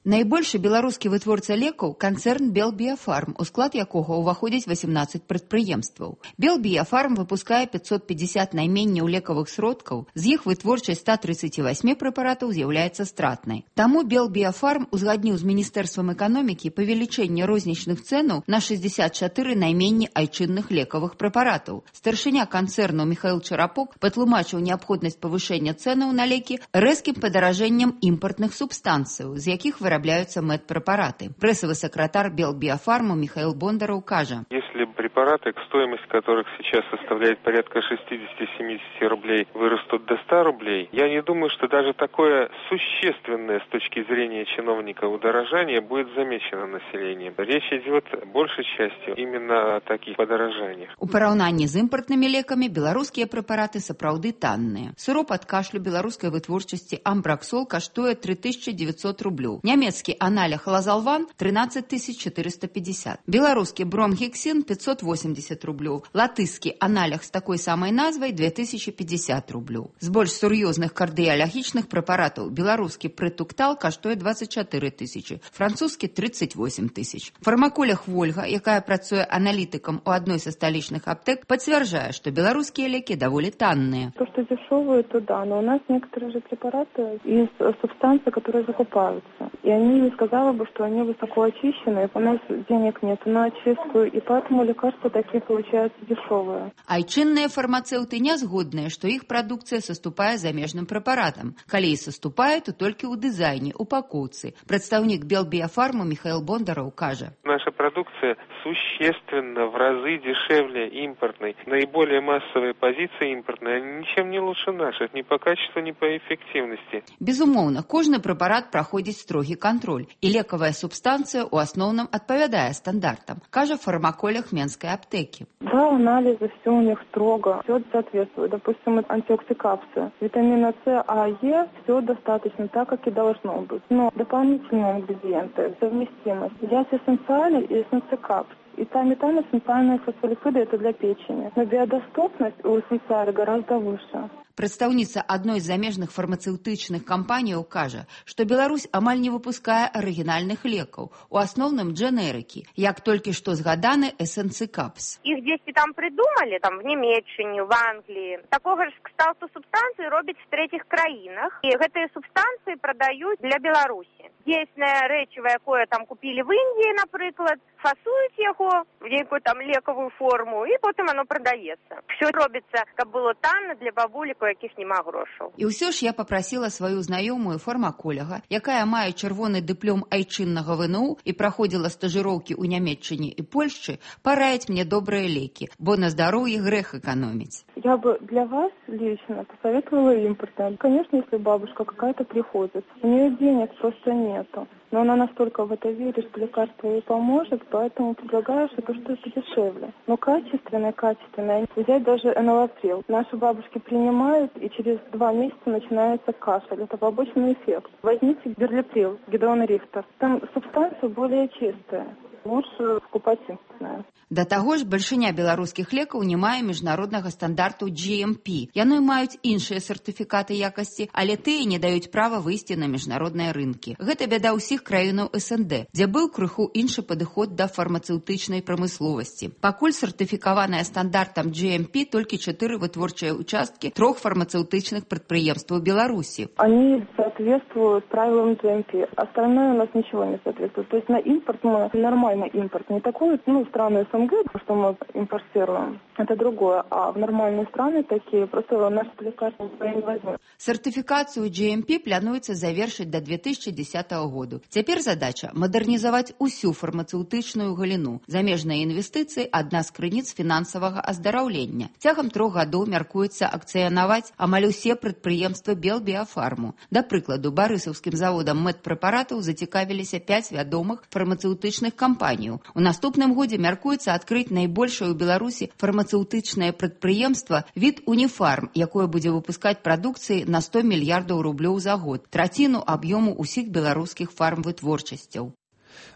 Найбольшы беларускі вытворца лекаў канцэрн «Белбіяфарм», у склад якога ўваходзіць восемнадцать прадпрыемстваў. «Белбіяфарм» выпускае пятьсот пятьдесят найменняў лекавых сродкаў, з іх вытворчасць ста тридцати восьми прэпаратаў з'яўляецца стратнай. Таму «Белбіяфарм» узгадніў з Міністэрствам эканомікі павелічэнне рознічных цэнаў на шестьдесят четыре найменні айчынных лекавых прэпаратаў. Старшыня канцэрну Михаил Чарапок патлумачыў неабходнасць павышэння цэнаў на лекі рэзкім падаражэннем імпартных субстанцыяў, з якіх вырабляются медпрепараты. Прессовый секретарь Белбиофарма Михаил Бондаров кажа: Если препараты, стоимость которых сейчас составляет порядка шестьдесят-семьдесят рублей, вырастут до ста рублей, я не думаю, что даже такое существенное с точки зрения чиновника удорожание будет замечено населением. Речь идет большей частью именно о таких подорожаниях. У параўнанні з імпартнымі лекамі беларускія прэпараты сапраўды танныя. Сыроп ад кашлю беларускай вытворчасці амбраксол каштуе три тысячи девятьсот рублёў. Нямецкі аналог лазалван тринадцать тысяч четыреста пятьдесят. Беларускі бромгексин пятьсот восемьдесят рублёў. Латышскі аналог з такой самай назвай две тысячи пятьдесят рублёў. З больш сур'ёзных кардыялагічных прэпаратаў беларускі прытуктал каштуе двадцать четыре тысячи, французскі тридцать восемь тысяч. Фармаколог Вольга, якая працуе аналітыкам у адной са сталічных аптэк, пацвярджае, што беларускія лекі даволі танныя. То, что дешевые, то да, но у нас некоторые же препараты из субстанций, которые закупаются. И они не сказали бы, что они высоко очищены, у нас денег нет на очистку, и поэтому лекарства такие получаются дешевые. Айчынныя фармацэўты не згодныя, што іх прадукцыя саступае замежным прэпаратам. Калі і саступае, то толькі ў дызайне, упакоўцы. Прадстаўнік Белбиофарма Михаил Бондаров кажа: Наша продукция существенно в разы дешевле импортной. Наиболее массовые позиции импортные, они ничем не лучше наших, ни по качеству, ни по эффективности. Безумоўна, кожны прэпарат праходзіць строгі контроль, і лекавая субстанцыя ў асноўным адпавядае стандартам, кажа фармаколог Менскай аптэкі. Да, анализы, все у них строго, все соответствует. Допустим, антиоксикапсы, витамина С, А, Е, все достаточно так, как и должно быть. Но дополнительные ингредиенты, совместимость. Есть эссенциали и эссенцикапс. И там, и там эссенциальные фосфолипиды – это для печени. Но биодоступность у эссенциаля гораздо выше. Прадстаўніца адной з замежных фармацэўтычных кампаніяў кажа, што Беларусь амаль не выпускае арыгінальных лекаў, у асноўным дженерыкі, як толькі што згаданы эссенцикапс. Их дзесьці там придумали, там в Німеччині, в Англии. Такого ж кшталту субстанцыі робяць в третьих краінах, і гэтыя субстанцыі прадаюць для Беларусі. Дзейснае рэчыва, якое там купілі в Індіі, напрыклад, фасуюць яго в нейкую там лекавую форму, і потым оно прадаецца. Все робіцца, каб было танна для бабулек, якіх няма грошаў. І ўсё ж я папрасіла сваю знаёмую фармаколага, якая мае чырвоны дыплом айчыннага вэ эн у і праходзіла стажыроўкі ў Нямецчыне і Польшчы, параіць мне добрыя лекі, бо на здароўе грэх эканоміць. Я бы для вас лично посоветовала импортное. Конечно, если бабушка какая-то приходит, у нее денег просто нету. Но она настолько в это верит, что лекарство ей поможет, поэтому предлагаю, что это дешевле. Но качественное, качественное. Взять даже энолаприл. Наши бабушки принимают, и через два месяца начинается кашель. Это побочный эффект. Возьмите берлиприл, Гедеон Рихтер. Там субстанция более чистая. Лучше покупать им. бесплатная. Да таго ж бальшыня беларускіх лекаў не мае міжнароднага стандарту джи эм пі. Яны маюць іншыя сертыфікаты якасці, але тыя не даюць права выйсці на міжнародныя рынкі. Гэта бяда ўсіх краінаў эс эн дэ, дзе быў крыху іншы падыход да фармацэўтычнай прамысловасці. Пакуль сертыфікаваная стандартам джи эм пі толькі чатыры вытворчыя участкі трох фармацэўтычных прадпрыемстваў Беларусі. Они соответствуют правилам джи эм пі. Остальное у нас ничего не соответствует. То есть на импорт мы нормальный импорт. Не такой, ну, страны эс эн дэ, что мы импортируем. Это другое. А в нормальные страны такие, просто наши лекарства не возьмем. Сертыфікацыю джи эм пі плануецца завершыць да две тысячи десятого году. Цяпер задача мадэрнізаваць усю фармацэўтычную галіну. Замежныя інвестыцыі – адна з крыніц фінансавага аздараўлення. Цягам трох гадоў мяркуецца акцыянаваць амаль усе прадпрыемствы Белбіафарму. Да прыкладу, барысаўскім заводам медпрэпаратаў зацікавіліся пяць вядомых фармацэўтычных кампаніяў. У наступным годзе мяркуецца адкрыць найбольшае ў Беларусі фармацэўтычнае прадпрыемства від Уніфарм, якое будзе выпускаць прадукцыі на сто мільярдаў рублёў за год, траціну аб'ёму ўсіх беларускіх фармвытворчасцяў.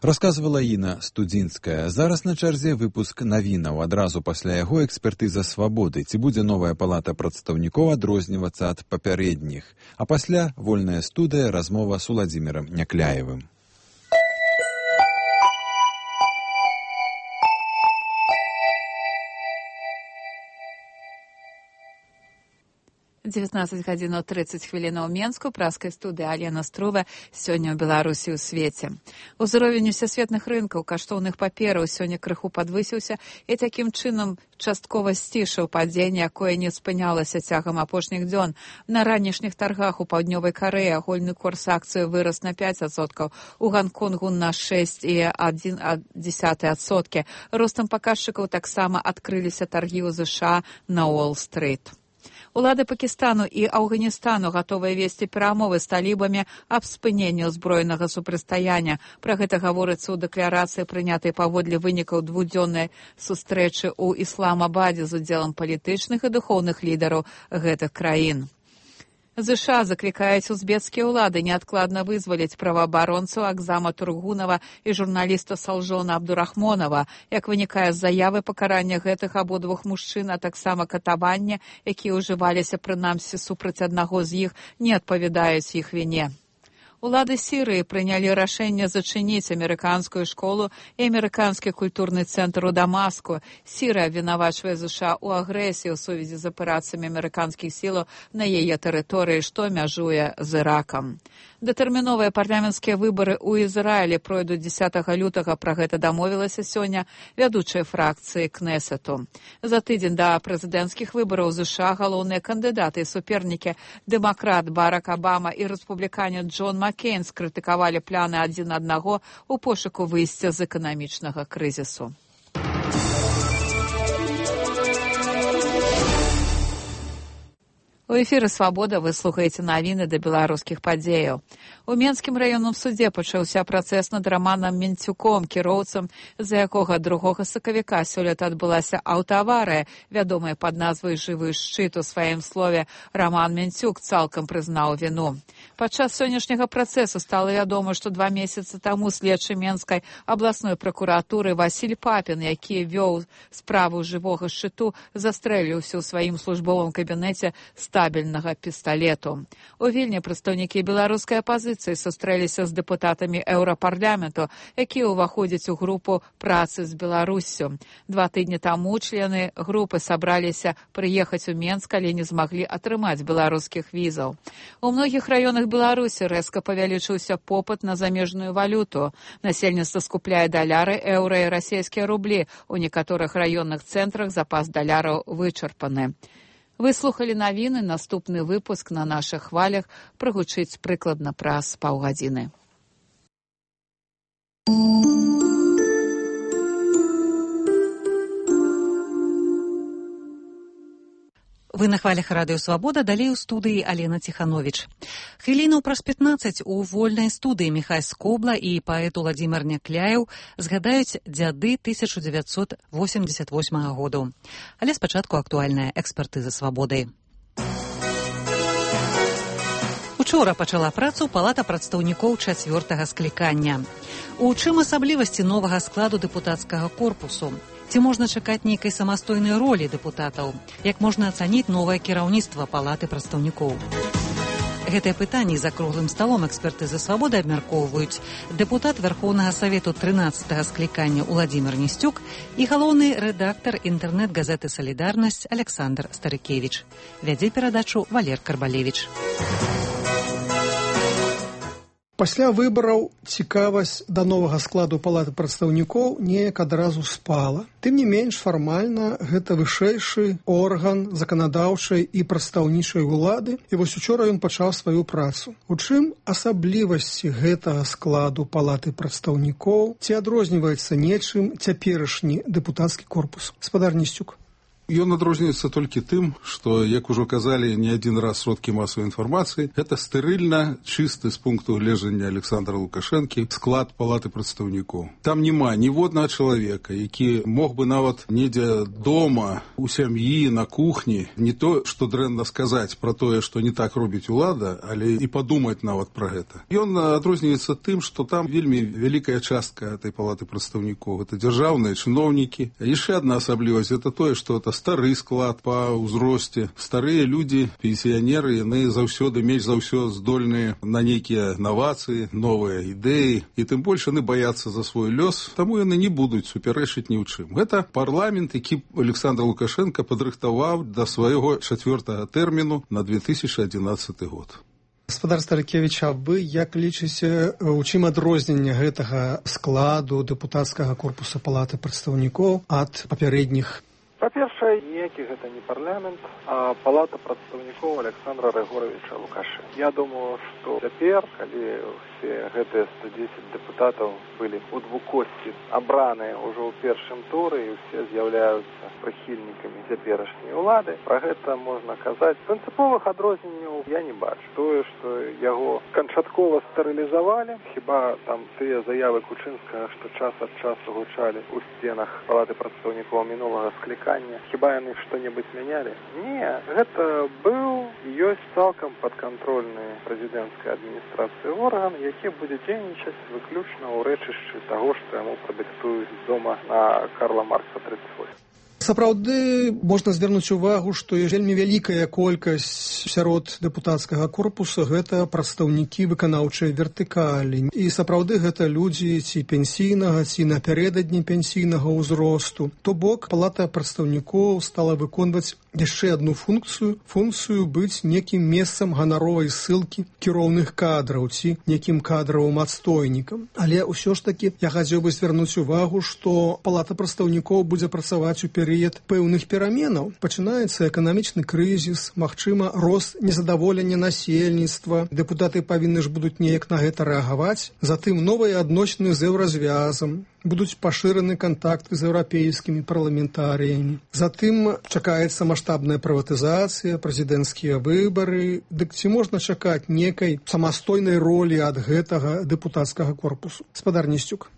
Расказвала Іна Студзінская. Зараз на чарзе выпуск навінаў. Адразу пасля яго экспертыза свабоды. Ці будзе новая палата прадстаўнікоў адрознівацца ад папярэдніх. А пасля вольная студыя, размова з Уладзімірам Някляевым. дзевятнаццаць гадзін трыццаць хвілінаў Менску, праскай студыі Алена Струва, сёння ў Беларусі ў свеце. Узровень усесветных рынкаў каштоўных папераў сёння крыху падвысіўся і такім чынам часткова сцішыў падзенне, якое не спынялася цягам апошніх дзён. На ранішніх таргах у паўднёвай Карэі агульны курс акцыі вырас на пяць адсоткаў, у Ганконгу на шэсць і адзін дзесятых адсоткі. Ростам паказчыкаў таксама адкрыліся таргі ў ЗША на Уолл-стрыт. Улады Пакістану і Афганістану гатовыя весці перамовы з талібамі аб спыненні ўзброенага супрацьстаяння. Пра гэта гаворыцца ў дэкларацыі, прынятай паводле вынікаў двухдзённай сустрэчы ў Ісламабадзе з удзелам палітычных і духоўных лідараў гэтых краін. ЗША заклікаюць узбекскія ўлады неадкладна вызваліць праваабаронцу Акзама Тургунова і журналіста Салжона Абдурахмонова. Як вынікае з заявы, пакарання гэтых абодвух мужчын, а таксама катавання, якія ўжываліся прынамсі супраць аднаго з іх, не адпавядаюць іх віне. Улады Сірыі прынялі рашэнне зачыніць амерыканскую школу і амерыканскі культурны цэнтр у Дамаску. Сірыя абвінавачвае ЗША ў агрэсіі ў сувязі з аперацыямі амерыканскіх сілаў на яе тэрыторыі, што мяжуе з Іракам. Датэрміновыя парламенцкія выбары ў Ізраілі пройдуць дзесятага лютага, пра гэта дамовілася сёння вядучыя фракцыі Кнесету. За тыдзень да прэзідэнцкіх выбараў ЗША галоўныя кандыдаты і супернікі дэмакрат Барак Абама і рэспубліканец Джон Маккейн скрытыкавалі пляны адзін аднаго ў пошуку выйсця з эканамічнага крызісу. У эфіры «Свабода» вы слухаеце навіны да беларускіх падзеяў. У Менскім раённым судзе пачаўся працэс над Раманам Мінцюком, кіроўцам, з-за якога другога сакавіка сёлета адбылася аўтааварыя, вядомая пад назвай «Жывы шчыт». У сваім слове Раман Мінцюк цалкам прызнаў віну. Падчас сённяшняга працэсу стала вядома, што два месяцы таму следчы Менскай абласной пракуратуры Васіль Папін, які вёў справу жывога шчыту, застрэліўся ў сваім службовым кабінеце стабільнага пісталету. У Вільні прадстаўнікі беларускай апазіцыі сустрэліся з дэпутатамі Еўрапарламенту, якія ўваходзяць у групу працы з Беларуссю. Два тыдні таму члены групы сабраліся прыехаць у Менск, але не змаглі атрымаць беларускіх візаў. У многіх раёнах Беларусі рэзка павялічыўся попыт на замежную валюту. Насельніцтва скупляе даляры, еўра і расійскія рублі. У некаторых раённых цэнтрах запас даляраў вычарпаны. Вы слухалі навіны, наступны выпуск на нашых хвалях прагучыць прыкладна праз паўгадзіны. Вы на хвалях радыё «Свабода», далей у студыі Алена Ціхановіч. Хвілінаў праз пятнаццаць у вольнай студыі Міхай Скобла і паэт Уладзімір Някляеў згадаюць дзяды тысяча дзевяцьсот восемьдесят восьмага году. Але спачатку актуальная экспертыза «Свабоды». У Учора пачала працу палата прадстаўнікоў чацвёртага склікання. У чым асаблівасці новага складу дэпутацкага корпусу? Ці можна чакаць нейкай самастойнай ролі дэпутатаў? Як можна ацаніць новае кіраўніцтва палаты прадстаўнікоў? Гэтыя пытанні за круглым сталом эксперты за свабоды абмяркоўваюць дэпутат Вярхоўнага Савету трынаццатага склікання Уладзімір Нісцюк і галоўны рэдактар інтэрнэт-газеты «Салідарнасць» Александр Старыкевіч. Вядзе перадачу Валер Карбалевіч. Пасля выбараў цікавасць да новага складу палаты прадстаўнікоў неяк адразу спала. Тым не менш, фармальна гэта вышэйшы орган заканадаўчай і прадстаўнічай улады, і вось учора ён пачаў сваю працу. У чым асаблівасці гэтага складу палаты прадстаўнікоў? Ці адрозніваецца нечым цяперашні дэпутацкі корпус? Гаспадар Нісцюк. Ён адрозніваецца толькі тым, што, як ужо казалі не адзін раз сродкі масавай інфармацыі, гэта стэрыльна чысты з пункту гледжання Александра Лукашэнкі склад палаты прадстаўнікоў. Там няма ніводнага чалавека, які мог бы нават недзе дома, у сям'і, на кухні, не то, што дрэнна сказаць пра тое, што не так робіць улада, але і падумаць нават пра гэта. Ён адрозніваецца тым, што там вельмі вялікая частка этой палаты прадстаўнікоў. Гэта дзяржаўныя чыноўнікі. Яшчэ адна асаблівасць гэта тое, што это стары склад па ўзросце. Старыя людзі, пенсіянеры, яны заўсёды, менш за ўсё здольныя на нейкія навацыі, новыя ідэі, і тым больш яны баяцца за свой лёс, таму яны не будуць супярэчыць ні ў чым. Гэта парламент, які Александр Лукашенко падрыхтаваў да свайго чацвёртага тэрміну на две тысячы адзінаццаты год. Гаспадар Старыкевіч, а вы як лічыце, у чым адрозненне гэтага складу дэпутацкага корпуса палаты прадстаўнікоў ад папярэдніх? Па-першае, ніякі гэта не парламент, а палата прадстаўнікоў Александра Григоровича Лукашенка. Я думаю, што цяпер, калі все гэтыя сто дзесяць дэпутатаў былі ў двукосці абраныя ўжо ў першым туры і ўсе з'яўляюцца прыхільнікамі цяперашняй улады, пра гэта можна казаць. Прынцыповых адрозненняў я не бачу. Тое, што яго канчаткова стэрылізавалі, хіба там тыя заявы Кучынскага, што час ад часу гучалі ў сценах палаты прадстаўнікоў мінулага склікання, хіба яны што-небудзь мянялі? Не, гэта быў і ёсць цалкам падкантрольны прэзідэнцкай адміністрацыі орган, які будзе дзейнічаць выключна ў рэчышчы таго, што яму прадыктуюць з дома на Карла Маркса тридцать восемь. Сапраўды можна звярнуць увагу, што вельмі вялікая колькасць сярод дэпутацкага корпуса гэта прадстаўнікі выканаўчай вертыкалі. І сапраўды гэта людзі ці пенсійнага, ці напярэдадні пенсійнага ўзросту. То бок палата прадстаўнікоў стала выконваць яшчэ адну функцыю, функцыю быць некім месцам ганаровай ссылкі кіроўных кадраў ці некім кадравым адстойнікам. Але ўсё ж такі я хацеў бы звярнуць увагу, што палата прадстаўнікоў будзе працаваць у перыяд пэўных пераменаў. Пачынаецца эканамічны крызіс, магчыма, рост незадаволення насельніцтва. Дэпутаты павінны ж будуць неяк на гэта рэагаваць. Затым новыя адносіны з еўразвязам. Будуць пашыраны кантакты з еўрапейскімі парламентарыямі. Затым чакаецца маштабная прыватызацыя, прэзідэнцкія выбары. Дык ці можна чакаць некай самастойнай ролі ад гэтага дэпутацкага корпусу? Гаспадар Нісцюк.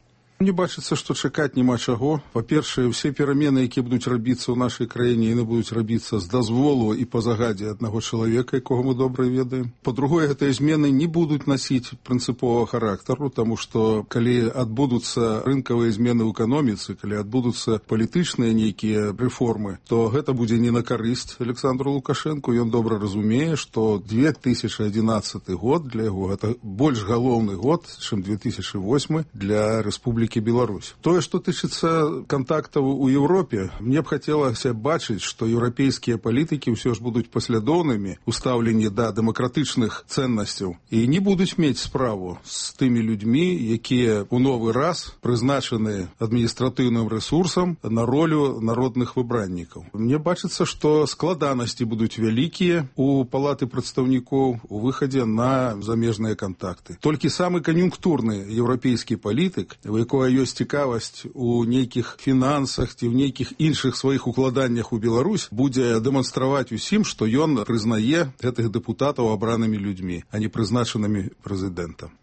Мне бачыцца, што чакаць няма чаго. Па-першае, усе перамены, якія будуць рабіцца ў нашай краіне, яны будуць рабіцца з дазволу і па загадзе аднаго чалавека, якога мы добра ведаем. Па-другое, гэтыя змены не будуць насіць прынцыповага характару, таму што калі адбудуцца рынкавыя змены ў эканоміцы, калі адбудуцца палітычныя нейкія рэформы, то гэта будзе не на карысць Александру Лукашэнку. Ён добра разумее, што две тысячы адзінаццаты год для яго гэта больш галоўны год, чым две тысячы восьмы для Рэспублікі Беларусь. Тое, што тычыцца кантактаў у Еўропе, мне б хацелася бачыць, што еўрапейскія палітыкі ўсё ж будуць паслядоўнымі ў стаўленні да дэмакратычных цэннасцяў і не будуць мець справу з тымі людзьмі, якія ў новы раз прызначаны адміністратыўным рэсурсам на ролю народных выбраннікаў. Мне бачыцца, што складанасці будуць вялікія у палаты прадстаўнікоў у выхадзе на замежныя кантакты. Толькі самы кан'юнктурны еўрапейскі палітык, у якога ёсць цікавасць у нейкіх фінансах ці ў нейкіх іншых сваіх укладаннях у Беларусь, будзе дэманстраваць усім, што ён прызнае гэтых дэпутатаў абранымі людзьмі, а не прызначанымі прэзідэнтам.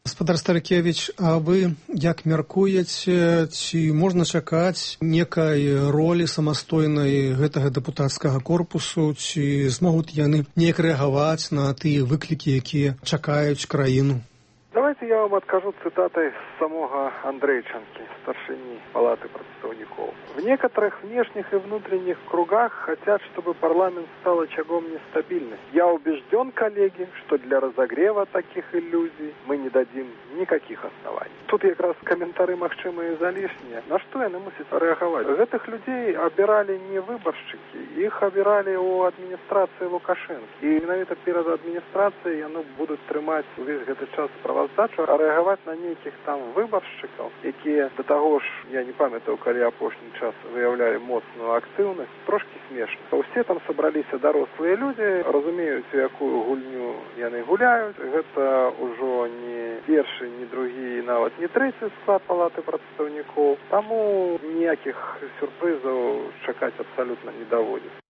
Гаспадар Старыкевіч, а вы як мяркуеце, ці можна чакаць некай ролі самастойнай гэтага дэпутацкага корпусу, ці змогуць яны неяк рэагаваць на тыя выклікі, якія чакаюць краіну? Давайте я вам откажу цитатой самого Андрейченки, старшини Палаты представников. В некоторых внешних и внутренних кругах хотят, чтобы парламент стал очагом нестабильности. Я убежден, коллеги, что для разогрева таких иллюзий мы не дадим никаких оснований. Тут как раз комментарии магчимые излишние. На что яны мусить реагировать? Этих людей обирали не выборщики, их обирали у администрации Лукашенко. И именно перед администрацией они будут тримать весь этот час правоздачу, а реагировать на неких там выборщиков, які до того ж, я не пам'ятаю, коли апошній час виявляли моцну активність, трошки смішно. Усі там собралися дорослі люди, розуміють, яку гульню яны гуляють. Гэта ўжо не першы, не другі, нават не трэці склад Палаты прадстаўнікоў. Таму ніякіх сюрпрызаў чакаць абсалютна не даводзіцца.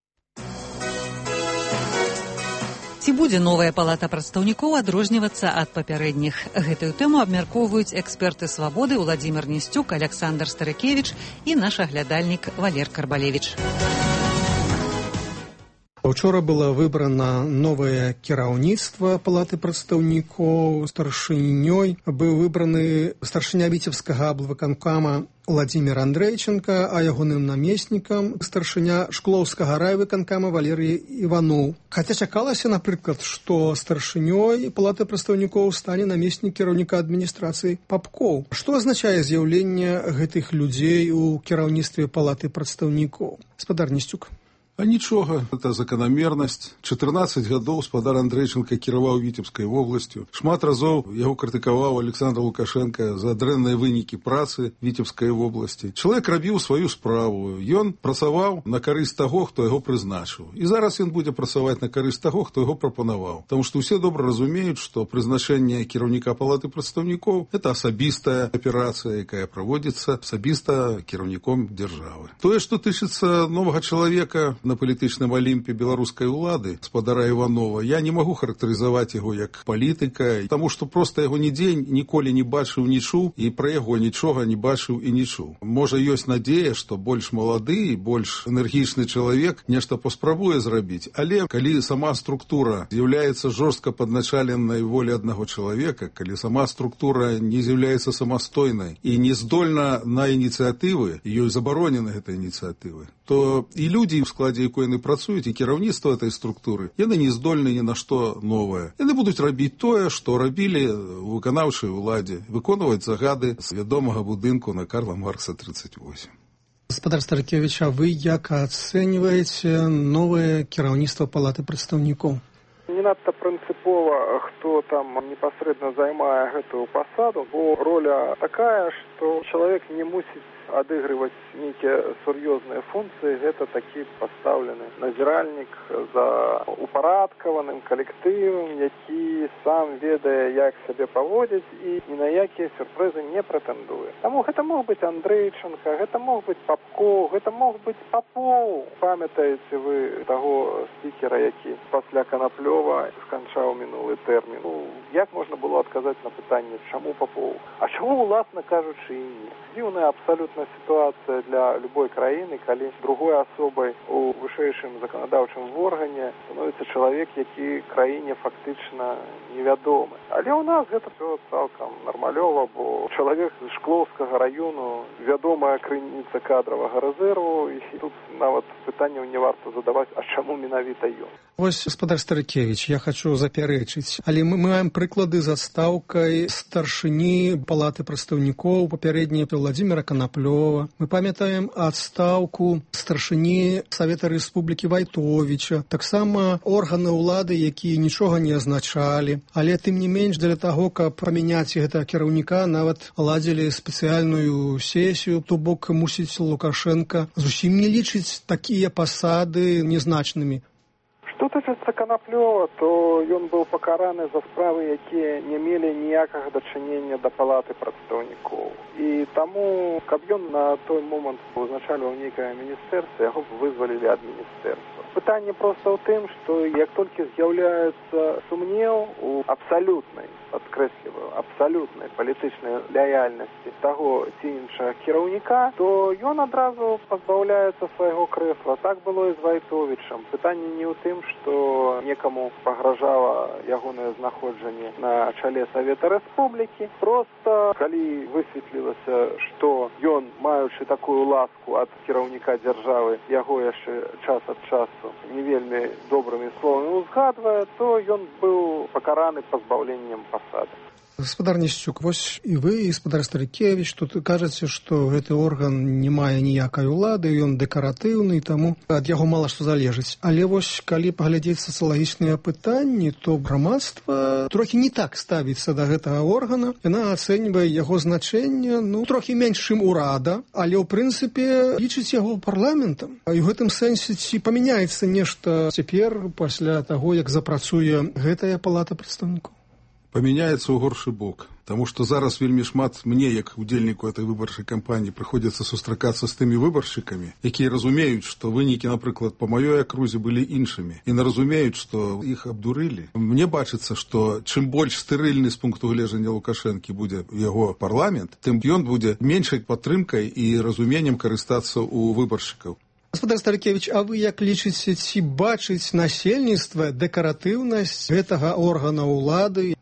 Ці будзе новая палата прадстаўнікоў адрознівацца ад папярэдніх? Гэтую тэму абмяркоўваюць эксперты «Свабоды» Уладзімір Несцюк, Александр Старыкевіч і наш аглядальнік Валер Карбалевіч. Учора было выбрана новае кіраўніцтва Палаты прадстаўнікоў. Старшынёй быў выбраны старшыня віцебскага аблвыканкама Владимир Андрейченко, а ягоным намеснікам старшыня Шклоўскага райвыканкама Валерый Иванов. Хаця чакалася, напрыклад, што старшынёй Палаты прадстаўнікоў стане намеснік кіраўніка адміністрацыі Папкоў. Што азначае з'яўленне гэтых людзей у кіраўніцтве Палаты прадстаўнікоў? Гаспадар Несцюк. А нічога, это закономернасць. чатырнаццаць гадоў спадар Андрейченко кіраваў Віцебскай вобласцю. Шмат разоў яго крытыкаваў Александр Лукашенко за дрэнныя вынікі працы Віцебскай вобласці. Чалавек рабіў сваю справу. Ён працаваў на карысць таго, хто яго прызначыў. І зараз ён будзе працаваць на карысць таго, хто яго прапанаваў. Таму што ўсе добра разумеюць, што прызначэнне кіраўніка Палаты прадстаўнікоў – это асабістая аперацыя, якая праводзіцца асабіста кіраўніком дзяржавы. Тое, што тычыцца новага чалавека на палітычным алімпе беларускай улады, спадара Іванова, я не магу характарызаваць яго як палітыка, таму што проста яго нідзе ніколі не бачыў, не чуў, і пра яго нічога не бачыў і не чуў. Можа, ёсць надзея, што больш малады і больш энергічны чалавек нешта паспрабуе зрабіць, але калі сама структура з'яўляецца жорстка падначаленай волі аднаго чалавека, калі сама структура не з'яўляецца самастойнай і не здольна на ініцыятывы, ёй забаронены гэтыя ініцыятывы, то і людзі ў складзе якой яны працуюць, і кіраўніцтва этой структуры, яны не здольны ні на што новае. Яны будуць рабіць тое, што рабілі у выканаўчай уладзе, выконваць загады з вядомага будынку на Карла Маркса тридцать восемь. Гаспадар Старыкевіч, а вы як ацэньваеце новае кіраўніцтва Палаты прадстаўнікоў? Не надта прынцыпова, хто там непасрэдна займае гэтую пасаду, бо роля такая, што чалавек не мусіць адыгрываць нейкія сур'ёзныя функцыі, гэта такі пастаўлены назіральнік за упарадкаваным калектывам, які сам ведае, як сябе паводзіць і ні на якія сюрпрызы не прэтэндуе. Таму гэта мог быць Андрейченко, гэта мог быць Папкоў, гэта мог быць Папоў. Памятаеце вы таго спікера, які пасля Канаплёва сканчаў мінулы тэрмін. Ну, як можна было адказаць на пытанне, чаму Папоў? А чаму, уласна кажучы, і не? Дзіўная абсалютна ситуация для любой краіны, калі другой асобай у вышэйшым заканадаўчым органе становіцца чалавек, які краіне фактычна невядомы. Але ў нас гэта все цалкам нармалёва, бо чалавек з Шклоўскага раёну вядомая крыніца кадравага рэзерву, і тут нават пытанняў не варта задаваць, а чаму менавіта ён. Вось, гаспадар Старыкевіч, я хочу запярэчыць, але мы маем прыклады з адстаўкай старшыні Палаты прадстаўнікоў папярэдняй Владимира Коноплёва. Мы памятаем адстаўку старшыні Савета Рэспублікі Вайтовіча, таксама органы ўлады, якія нічога не азначалі, але тым не менш для таго, каб памяняць гэтага кіраўніка, нават ладзілі спецыяльную сесію, то бок мусіць Лукашенко зусім не лічыць такія пасады незначнымі. Што тычыцца Канаплёва, то ён быў пакараны за справы, якія не мелі ніякага дачынення да Палаты прадстаўнікоў. І таму, каб ён на той момант узначальваў нейкае міністэрства, яго б вызвалілі ад міністэрства. Пытанне проста ў тым, што як толькі з'яўляецца сумнеў у абсалютнай падкрэсліваю, абсалютнай палітычнай лаяльнасці таго ці іншага кіраўніка, то ён адразу пазбаўляецца свайго крэсла. Так было і з Вайтовічам. Пытанне не ў тым, што некаму пагражала ягонае знаходжанне на чале Савета Рэспублікі. Проста, калі высветлілася, што ён, маючы такую ласку ад кіраўніка дзяржавы, яго яшчэ час ад часу не вельмі добрымі словамі узгадвае, то ён быў пакараны пазбаўленнем пасады. Гаспадар Несцюк, вось і вы, і гаспадар Старыкевіч, тут кажаце, што гэты орган не мае ніякай улады, ён дэкаратыўны, таму ад яго мала што залежыць. Але вось, калі паглядзець сацыялагічныя пытанні, то грамадства трохі не так ставіцца да гэтага органа. Яна ацэньвае яго значэнне, ну, трохі менш, чым урада, але, ў прынцыпе, лічыць яго парламентам. І ў гэтым сэнсе ці памяняецца нешта цяпер, пасля таго, як запрацуе гэтая палата прадстаўнікоў? Памяняецца ў горшы бок, таму што зараз вельмі шмат мне, як удзельніку этой выбарчай кампаніі, прыходзіцца сустракацца з тымі выбаршчыкамі, якія разумеюць, што вынікі, напрыклад, па маёй акрузе былі іншымі, і не разумеюць, што іх абдурылі. Мне бачыцца, што чым больш стэрыльны з пункту гледжання Лукашэнкі будзе яго парламент, тым ён будзе меншай падтрымкай і разуменнем карыстацца ў выбаршчыкаў. Гаспадар Старыкевіч, а вы як лічыце, ці бачыць насельніцтва дэкаратыўнасць гэтага органа ўлады?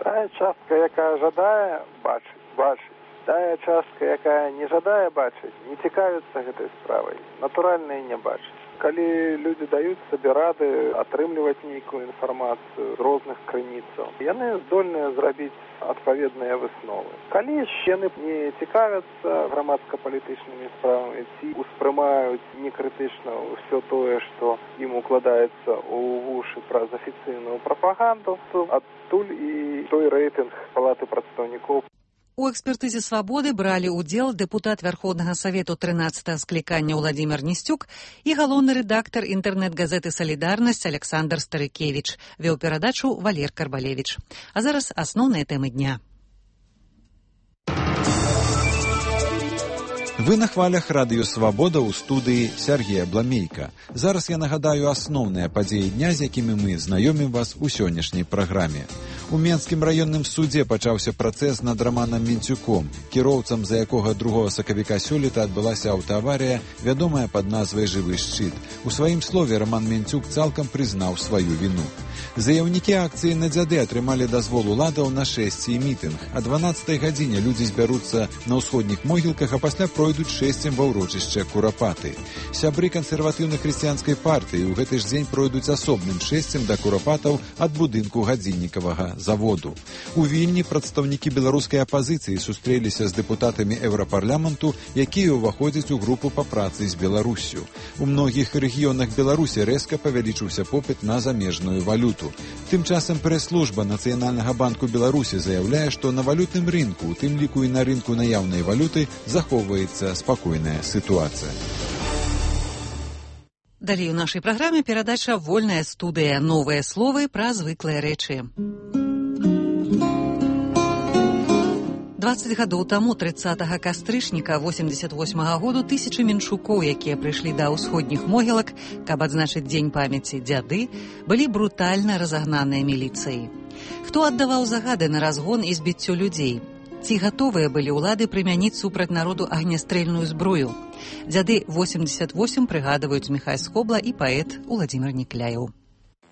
Тая частка, якая жадае бачыць, бачыць. Тая частка, якая не жадае бачыць, не цікавіцца гэтай справай. Натуральна і не бачыць. Калі людзі даюць сабе рады атрымліваць нейкую інфармацыю з розных крыніцаў, яны здольныя зрабіць адпаведныя высновы. Калі ж яны не цікавяцца грамадска-палітычнымі справамі, ці успрымаюць некрытычна ўсё тое, што ім укладаецца ў вушы праз афіцыйную прапаганду, то адтуль і той рэйтынг палаты прадстаўнікоў. У экспертызе «Свабоды» бралі ўдзел дэпутат Вярхоўнага Савету трынаццатага склікання Владзімір Несцюк і галоўны рэдактар інтэрнэт-газеты «Салідарнасць» Александр Старыкевіч. Вёў перадачу Валер Карбалевіч. А зараз асноўныя тэмы дня. Вы на хвалях радыё «Свабода» ў студыі Сергея Бламейка. Зараз я нагадаю асноўныя падзеі дня, з якімі мы знаёмім вас у сённяшняй праграме. У Менскім раённым судзе пачаўся працэс над Раманам Мінцюком, кіроўцам, за якога другога сакавіка сёлета адбылася аўтааварыя, вядомая пад назвай «Жывы шчыт». У сваім слове Раман Мінцюк цалкам прызнаў сваю віну. Заяўнікі акцыі на дзяды атрымалі дазвол уладаў на шэсце і мітынг. А дванаццатай гадзіне людзі збяруцца на ўсходніх могілках, а пасля пройдуць шэсцем ва ўрочышча Курапаты. Сябры кансерватыўна-хрысціянскай партыі ў гэты ж дзень пройдуць асобным шэсцем да Курапатаў ад будынку гадзіннікавага заводу. У Вільні прадстаўнікі беларускай апазіцыі сустрэліся з дэпутатамі Еўрапарламенту, якія ўваходзяць у групу па працы з Беларуссю. У многіх рэгіёнах Беларусі рэзка павялічыўся попыт на замежную валюту. Тым часам прэс-служба Нацыянальнага банку Беларусі заяўляе, што на валютным рынку, у тым ліку і на рынку наяўнай валюты, захоўваецца спакойная сітуацыя. Далей у нашай праграме перадача «Вольная студыя». Новыя словы пра звыклыя рэчы. дваццаць гадоў таму, трыццатага кастрычніка восемьдесят восьмага году, тысячы менчукоў, якія прыйшлі да ўсходніх могілак, каб адзначыць дзень памяці дзяды, былі брутальна разагнаныя міліцыяй. Хто аддаваў загады на разгон і збіццё людзей? Ці гатовыя былі ўлады прымяніць супраць народу агнястрэльную зброю? Дзяды восемьдесят восемь прыгадваюць Міхай Скобла і паэт Уладзімір Некляеў.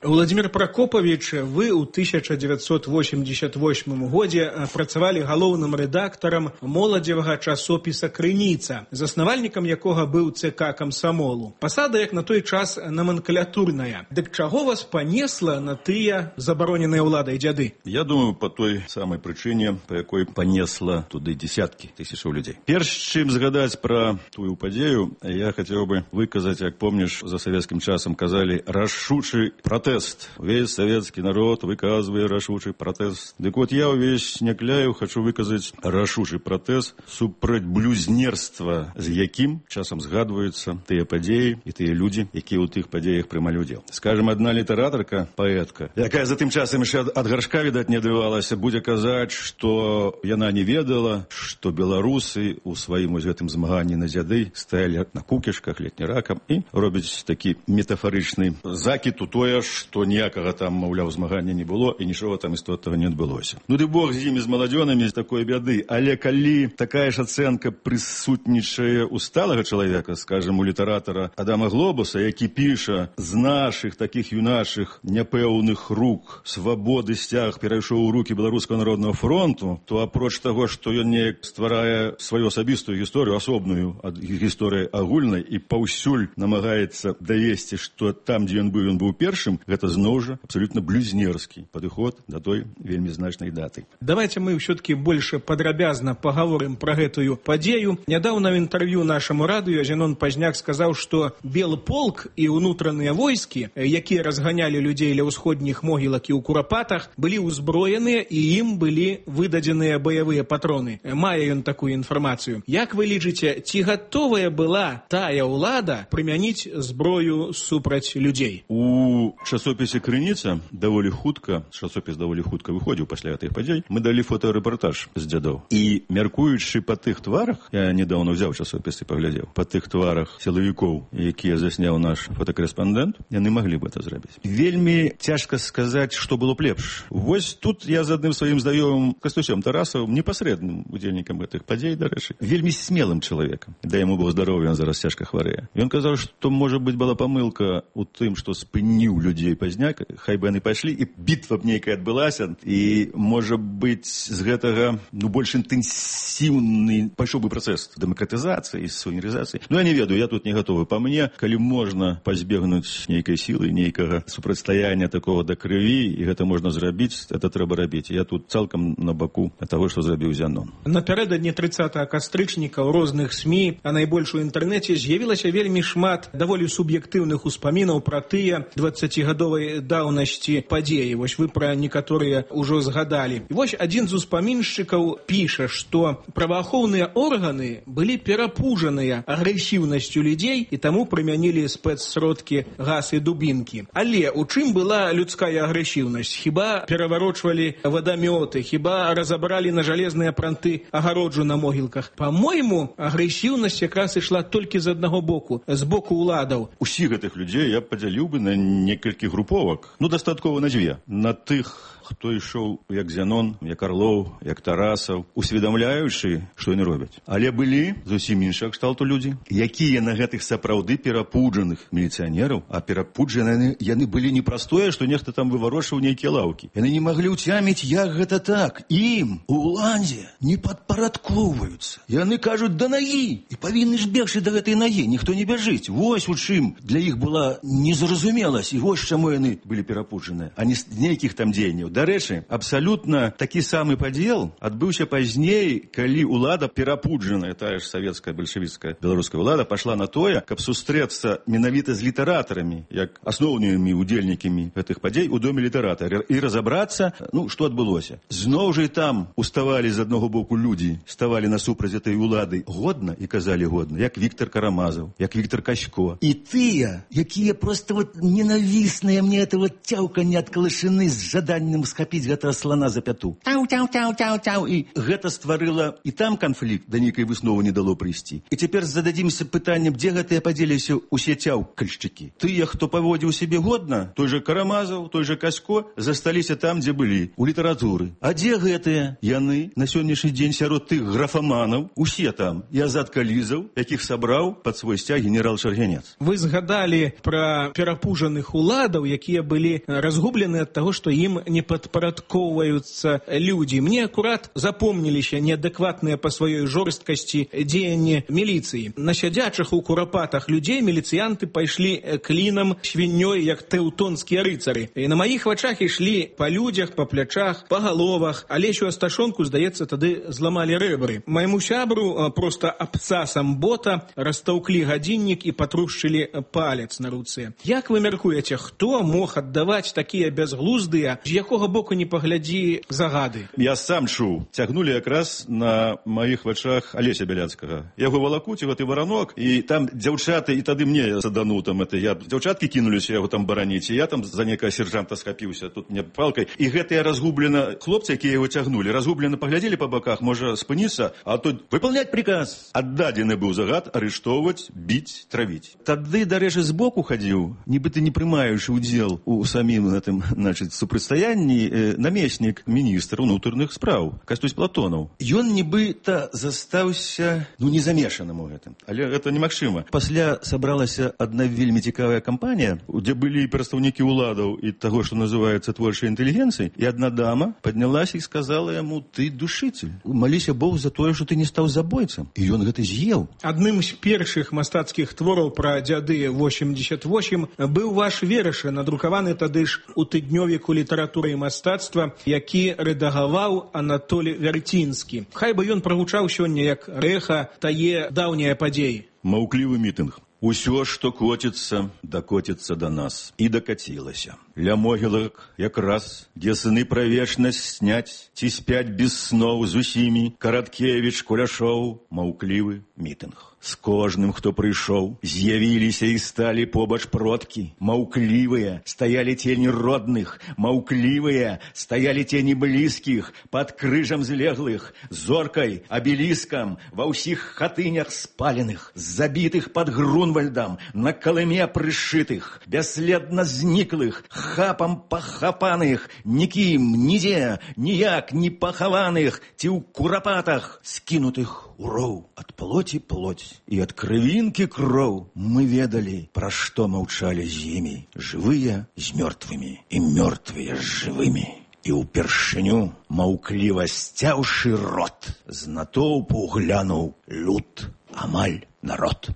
Владимир Прокопович, вы ў тысяча дзевяцьсот восемьдесят восьмым годзе працавалі галоўным рэдактарам моладзевага часопіса «Крыніца», заснавальнікам якога быў ЦК камсамолу. Пасада, як на той час, номенклатурная. Дык чаго вас панесла на тыя забароненыя ўладай дзяды? Я думаю, по той самай прычыне, па якой панесла туды десяткі тысячаў людзей. Перш чым згадаць пра тую падзею, я хацеў бы выказаць, як помніш, за савецкім часам казалі, рашучы пратэст. Весь советский народ выказывает рашучий протест. Так вот, я увесь Некляев хочу выказать рашучий протест супраць блюзнерства, з якім часам згадваюцца тыя падзеі і тыя людзі, якія ў тых падзеях прымалі удзел. Скажем, одна літаратарка, паэтка, якая за тым часам яшчэ ад гаршка, відаць, не адрывалася, будзе казаць, што яна не ведала, што беларусы ў сваім вось гэтым змаганні на дзяды стаялі на кукішках, летніракам і робяць такі метафарычны закід у тое, што ніякага там, маўляў, змагання не было і нічога там істотнага не адбылося. Ну ды бог з імі, з маладзёнамі, з такой бяды. Але калі такая ж ацэнка прысутнічае у сталага чалавека, скажем, у літаратара Адама Глобуса, які піша: з нашых такіх юнашых няпэўных рук свабоды сцяг перайшоў у рукі Беларускага народнага фронту, то апроч таго, што ён неяк стварае сваю асабістую гісторыю, асобную ад гісторыі агульнай, і паўсюль намагаецца давесці, што там, дзе ён быў, ён быў першым, гэта зноў жа абсолютно блюзнерскі падыход да той вельмі значнай даты. Давайте мы все-таки больше подробязно поговорим про гэтую падзею. Нядаўна в інтэрв'ю нашаму радыё Зенон Пазняк сказаў, што белы полк і ўнутраныя войскі, якія разганялі людзей ля ўсходніх могілак і ў курапатах, былі ўзброеныя і ім былі выдадзеныя баявыя патроны. Мае ён такую інфармацыю. Як вы лічыце, ці гатовая была тая ўлада прымяніць зброю супраць людзей? У часопісе «Крыніца» даволі хутка, часопіс даволі хутка выходзіў пасля гэтых падзей, мы далі фотарэпартаж з дзядоў. І мяркуючы па тых тварах, я недаўно взяў часопіс і паглядзеў, па тых тварах сілавікоў, якія засняў наш фотакарэспандэнт, яны маглі б гэта зрабіць. Вельмі цяжка сказаць, што было б лепш. Вось тут я з адным сваім знаёмым Кастусём Тарасавым, непасрэдным удзельнікам гэтых падзей, дарэчы, вельмі смелым чалавекам. Да яму было здароўе, ён зараз цяжка хварэе. Ён казаў, што, можа быць, была памылка ў тым, што спыніў людзей Пазняк, хай бы яны пайшлі, і бітва б нейкая адбылася, і, можа быць, з гэтага, ну, больш інтэнсіўны пайшоў бы працэс дэмакратызацыі, суверэнізацыі. Ну, я не ведаю, я тут не гатовы. Па мне, калі можна пазбегнуць нейкай сілы, нейкага супрацьстаяння такого да крыві, і гэта можна зрабіць, это трэба рабіць. Я тут цалкам на баку таго, што зрабіў Зянон. Напярэдадні трыццатага кастрычніка ў розных СМІ, а найбольш у інтэрнэце, з'явілася вельмі шмат даволі суб'ектыўных успамінаў пра тыя дваццацігадовай даўнасці падзеі. Вось вы пра некаторыя ўжо згадалі. І вось адзін з успаміншчыкаў піша, што праваахоўныя органы былі перапужаныя агрэсіўнасцю людзей і таму прымянілі спецсродкі, газ і дубінкі. Але у чым была людская агрэсіўнасць? Хіба пераварочвалі вадамёты, хіба разабралі на жалезныя пранты агароджу на могілках? Па-мойму, агрэсіўнасць якраз ішла толькі з аднаго боку, з боку ўладаў. Усіх гэтых людзей я падзяліў бы на некалькі груповак. Ну, дастаткова на дзве. На тых, хто ішоў як Зянон, як Арлоў, як Тарасаў, усведамляючы, што яны робяць. Але былі зусім іншага кшталту людзі, якія на гэтых сапраўды перапуджаных міліцыянераў, а перапуджаны яны былі не прастое, што нехта там выварочваў нейкія лаўкі. Яны не маглі ўцяміць, як гэта так. Ім у ўладзе не падпарадкоўваюцца. Яны кажуць, да нагі, і павінны ж бегчы да гэтай нагі, ніхто не бяжыць. Вось у чым для іх была незразумеласць, і вось чаму яны былі перапуджаныя, а не з нейкіх там дзеянняў. Дарэчы, абсалютна такі самы падзел адбыўся пазней, калі ўлада перапуджаная, тая ж савецкая, бальшавіцкая, беларуская ўлада пашла на тое, каб сустрэцца менавіта з літаратарамі, як асноўнымі удзельнікамі гэтых падзей у доме літаратара, і разабрацца, ну, што адбылося. Зноў жа і там уставалі з аднаго боку людзі, ставалі насупраць этой улады годна і казалі годна, як Віктор Карамазаў, як Віктор Касько. І тыя, якія проста вот ненавісныя мне это вот цяўканне ад калышыны з жаданнем схапіць гэтага слана за пяту. Тау-тау-тау-тау-тау. І гэта стварыла і там канфлікт, да нейкай высновы не дало прыйсці. І цяпер зададзімся пытаннем, дзе гэтыя падзеліся усе цяўкальшчыкі. Тыя, хто паводзіў сябе годна, той жа Карамазаў, той жа Касько, засталіся там, дзе былі, у літаратуры. А дзе гэтыя? Яны на сённяшні дзень сярод тых графаманаў, усе там, і Азат Калізаў, якіх сабраў пад свой сцяг генерал Шаргянец. Вы згадалі пра перапужаных уладаў, якія былі разгублены ад таго, што ім не падпарадкоўваюцца людзі. Мне акурат запомніліся неадэкватныя па сваёй жорсткасці дзеянні міліцыі. На сядзячых у курапатах людзей міліцыянты пайшлі клінам свіннёй, як тэўтонскія рыцары. І на маіх вачах ішлі па людзях, па плячах, па галовах. Алесю Асташонку, здаецца, тады зламалі рэбры. Майму сябру проста абцасам бота растаўклі гадзіннік і патрушчылі палец на руцэ. Як вы мяркуеце, хто мог аддаваць такія бязглуздыя, з якога якога боку не паглядзі загады. Я сам чуў. Цягнулі якраз на маіх вачах Алеся Бяляцкага. Яго валакуць, гэты варанок, і там дзяўчаты, і тады мне садануў там это, я дзяўчаткі кінуліся яго там бараніць, і я там за некага сержанта схапіўся, тут мне палкай. І гэтыя разгублена хлопцы, якія яго цягнулі, разгублена паглядзелі па баках, можа спыніцца, а тут выпаўняць приказ. Аддадзены быў загад арыштоўваць, біць, травіць. Тады, дарэчы, збоку хадзіў, нібыта не прымаючы ўдзел у самім гэтым, значыць, супрацьстаянні, э, намеснік міністра ўнутраных спраў Кастусь Платонаў. Ён нібыта застаўся, ну, не замешаным у гэтым, але гэта немагчыма. Пасля сабралася адна вельмі цікавая кампанія, дзе былі прадстаўнікі ўладаў і таго, што называецца творчай інтэлігенцыяй, і адна дама паднялася і сказала яму: ты душитель, маліся Бог за тое, што ты не стаў забойцам. І ён гэта з'еў. Адным з першых мастацкіх твораў пра дзяды восемьдесят восемь быў ваш вершы, надрукаваны тады ж у тыднёвіку літаратуры і мастацтва, які рэдагаваў Анатолій Вярцінскі. Хай бы ён прагучаў сёння як рэха тае даўняе падзеі. Маўклівы мітынг. Усё, што коціцца, дакоціцца да нас. І дакацілася. Ля могілак якраз, дзе сыны пра вечнасць сняць, ці спяць без сноў з усімі, Караткевіч, Куляшоў, маўклівы мітынг. З кожным, хто прыйшоў, з'явіліся і сталі побач продкі. Маўклівыя стаялі тені родных, маўклівыя стаялі тені блізкіх, пад крыжам злеглых, зоркай, абеліскам, ва ўсіх хатынях спаленых, забітых пад Грунвальдам, на калыме прышытых, бясследна зніклых, хапам пахапаных, нікім, нідзе, ніяк не пахаваных, ці ў курапатах, скінутых у роў ад плоці плоть. І ад крывінкі кроў мы ведалі, пра што маўчалі з імі, жывыя з мёртвымі і мёртвыя з жывымі. І ўпершыню, маўкліва сцяўшы рот, з натоўпу глянуў люд, амаль народ.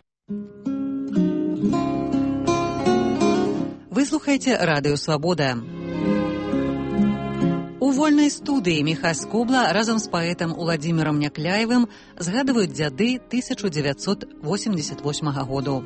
Вы слухаеце радыё «Свабода». У вольнай студыі Міхась Скобла разам з паэтам Уладзімірам Някляевым згадваюць дзяды тысяча дзевяцьсот восемьдесят восьмага году.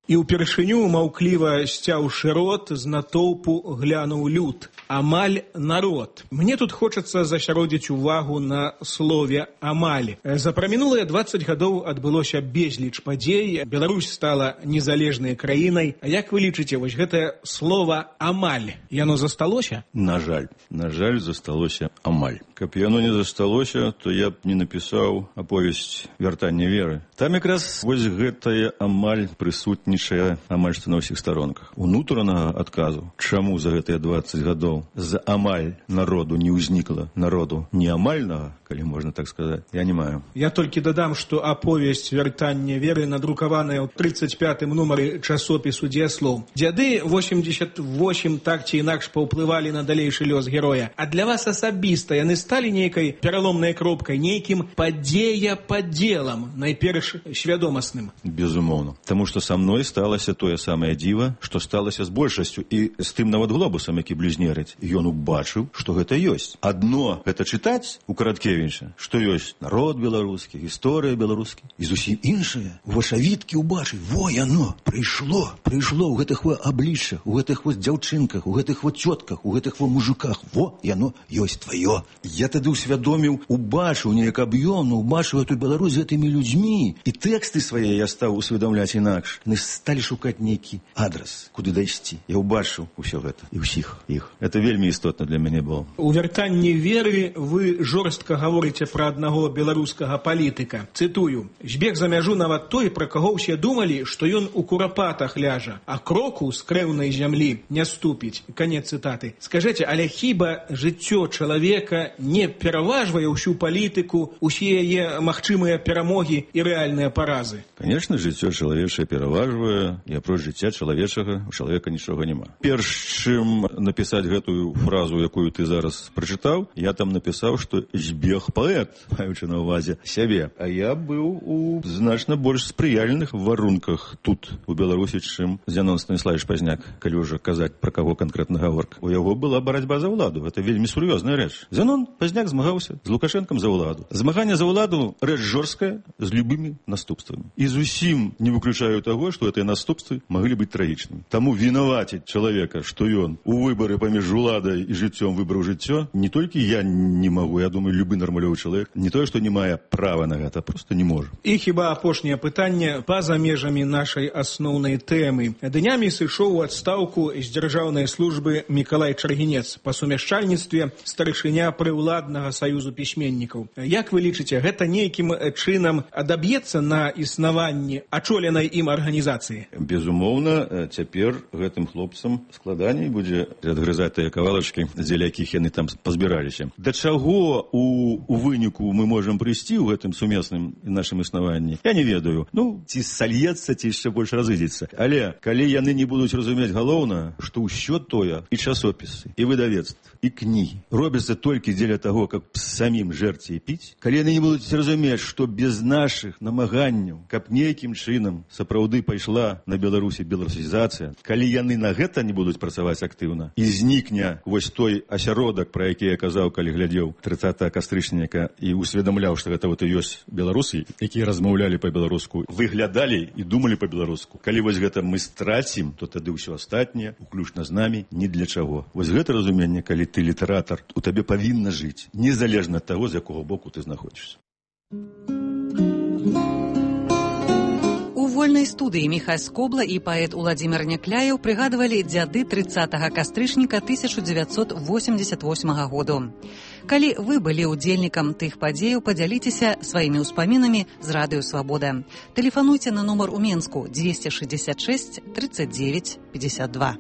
І ўпершыню, маўкліва сцяўшы рот, з натоўпу глянуў люд, амаль народ. Мне тут хочацца засяродзіць увагу на слове «амаль». За прамінулыя дваццаць гадоў адбылося безліч падзей, Беларусь стала незалежнай краінай. А як вы лічыце, вось гэтае слово «амаль», яно засталося? На жаль, на жаль, засталося амаль. Каб яно не засталося, то я б не напісаў аповесць «Вяртанне веры». Там якраз вось гэтае амаль прысутнічае амаль што на ўсіх старонках. Унутранага адказу, чаму за гэтыя дваццаць гадоў з амаль народу не ўзнікла народу неамальнага, калі можна так сказаць, я не маю. Я толькі дадам, што аповесць «Вяртанне веры» надрукаваная ў тридцать пятым нумары часопісу «Дзеяслоў». Дзяды восемьдесят восемь так ці інакш паўплывалі на далейшы лёс героя. А для вас асабіста яны сталі нейкай пераломнай кропкай, нейкім падзея-падзелам, найперш свядомасным? Безумоўна. Таму што са мной сталася тое самае дзіва, што сталася з большасцю, і з тым нават глобусам, які блізнерыць. Ён убачыў, што гэта ёсць. Адно гэта чытаць у Караткевіча, што ёсць народ беларускі, гісторыя беларускі, і зусім іншае вашавіткі ўбачыць. Во яно прыйшло, прыйшло ў гэтых во абліччах, у гэтых вот дзяўчынках, у гэтых вот цётках, у гэтых во мужиках. Во яно ёсць тваё. Я тады ўсвядоміў, убачыў неяк аб'ёмна, убачыў эту Беларусь з гэтымі людзьмі, і тэксты свае я стаў усведамляць інакш. Мы сталі шукаць нейкі адрас, куды дайсці. Я ўбачыў усё гэта і ўсіх іх. Это вельмі істотна для мяне было. У «Вяртанні веры» вы жорстка гаворыце пра аднаго беларускага палітыка. Цытую: «Збег за мяжу нават той, пра каго ўсе думалі, што ён у курапатах ляжа, а кроку з крэўнай зямлі не ступіць». Канец цытаты. Скажыце, але хіба жыццё чалавека не пераважвае ўсю палітыку, усе яе магчымыя перамогі і рэальныя паразы? Конечно, жыццё чалавечае пераважвае, і апроч жыцця чалавечага у чалавека нічога няма. Перш чым напісаць гэтую фразу, якую ты зараз прачытаў, я там напісаў, што збег паэт, маючы на ўвазе сябе. А я быў у значна больш спрыяльных варунках тут, у Беларусі, чым Зянон Станіславович Пазняк, калі ўжо казаць пра каго канкрэтна гаворка. У яго была барацьба за ўладу. Гэта вельмі сур'ёзная рэч. Зянон Пазняк змагаўся з Лукашэнкам за ўладу. Змаганне за ўладу рэч жорсткая, з любымі наступствамі. І зусім не выключаю таго, што гэтыя наступствы маглі быць трагічнымі. Таму вінаваціць чалавека, што ён у выбары паміж уладай і жыццём выбраў жыццё, не толькі я не магу, я думаю, любы нармалёвы чалавек, не тое, што не мае права на гэта, просто не можа. І хіба апошняе пытанне па-за межамі нашай асноўнай тэмы. Днямі сышоў у адстаўку з дзяржаўнай службы Мікалай Чаргінец, па сумяшчальніцтве старшыня прыўладнага саюзу пісьменнікаў. Як вы лічыце, гэта нейкім чынам адаб'ецца на існаванні ачоленай ім арганізацыі? Безумоўна, цяпер гэтым хлопцам складаней будзе адгрызаць тыя кавалачкі, дзеля якіх яны там пазбіраліся. Да чаго у, у выніку мы можам прыйсці ў гэтым сумесным нашым існаванні? Я не ведаю. Ну, ці сальецца, ці яшчэ больш разыдзецца. Але калі яны не будуць разумець галоўна, што ўсё тое, і часопісы, і выдавецтва, і кнігі робяцца толькі дзеля таго, каб самім жэрці і піць, калі яны не будуць разумець, што без нашых намаганняў, каб нейкім чынам сапраўды пайшла на Беларусі беларусізацыя, калі яны на гэта не будуць працаваць актыўна, і знікне вось той асяродак, пра які я казаў, калі глядзеў трыццатага кастрычніка і усведамляў, што гэта вот і ёсць беларусы, якія размаўлялі па-беларуску, выглядалі і думалі па-беларуску. Калі вось гэта мы страцім, то тады ўсё астатняе, уключна з намі, ні для чаго. Вось гэта разуменне, калі ты літаратар, у табе павінна жыць, незалежна ад таго, з якога боку ты знаходзішся. У вольнай студыі Міхась Скобла і паэт Уладзімір Някляеў прыгадвалі дзяды трыццатага кастрычніка тысяча дзевяцьсот восемьдесят восьмага году. Калі вы былі ўдзельнікам тых падзеяў, падзяліцеся сваімі ўспамінамі з радыё «Свабода». Тэлефануйце на нумар у Менску двести шестьдесят шесть тридцать девять пятьдесят два.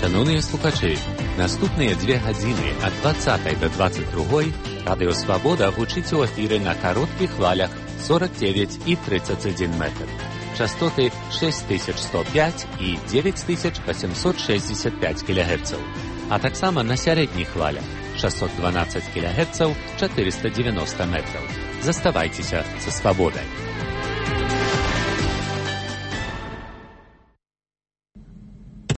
Шановні слухачі, наступныя две гадзіны ад двадцатай да двадцать другой радыё «Свабода» гучыць у эфіры на кароткіх хвалях сорок девять і тридцать один метр. Частоты шесть тысяч сто пять і девять тысяч восемьсот шестьдесят пять кілогерцаў, а таксама на сярэдніх хвалях шестьсот двенадцать кілогерцаў, четыреста девяносто метраў. Заставайцеся са «Свабодай».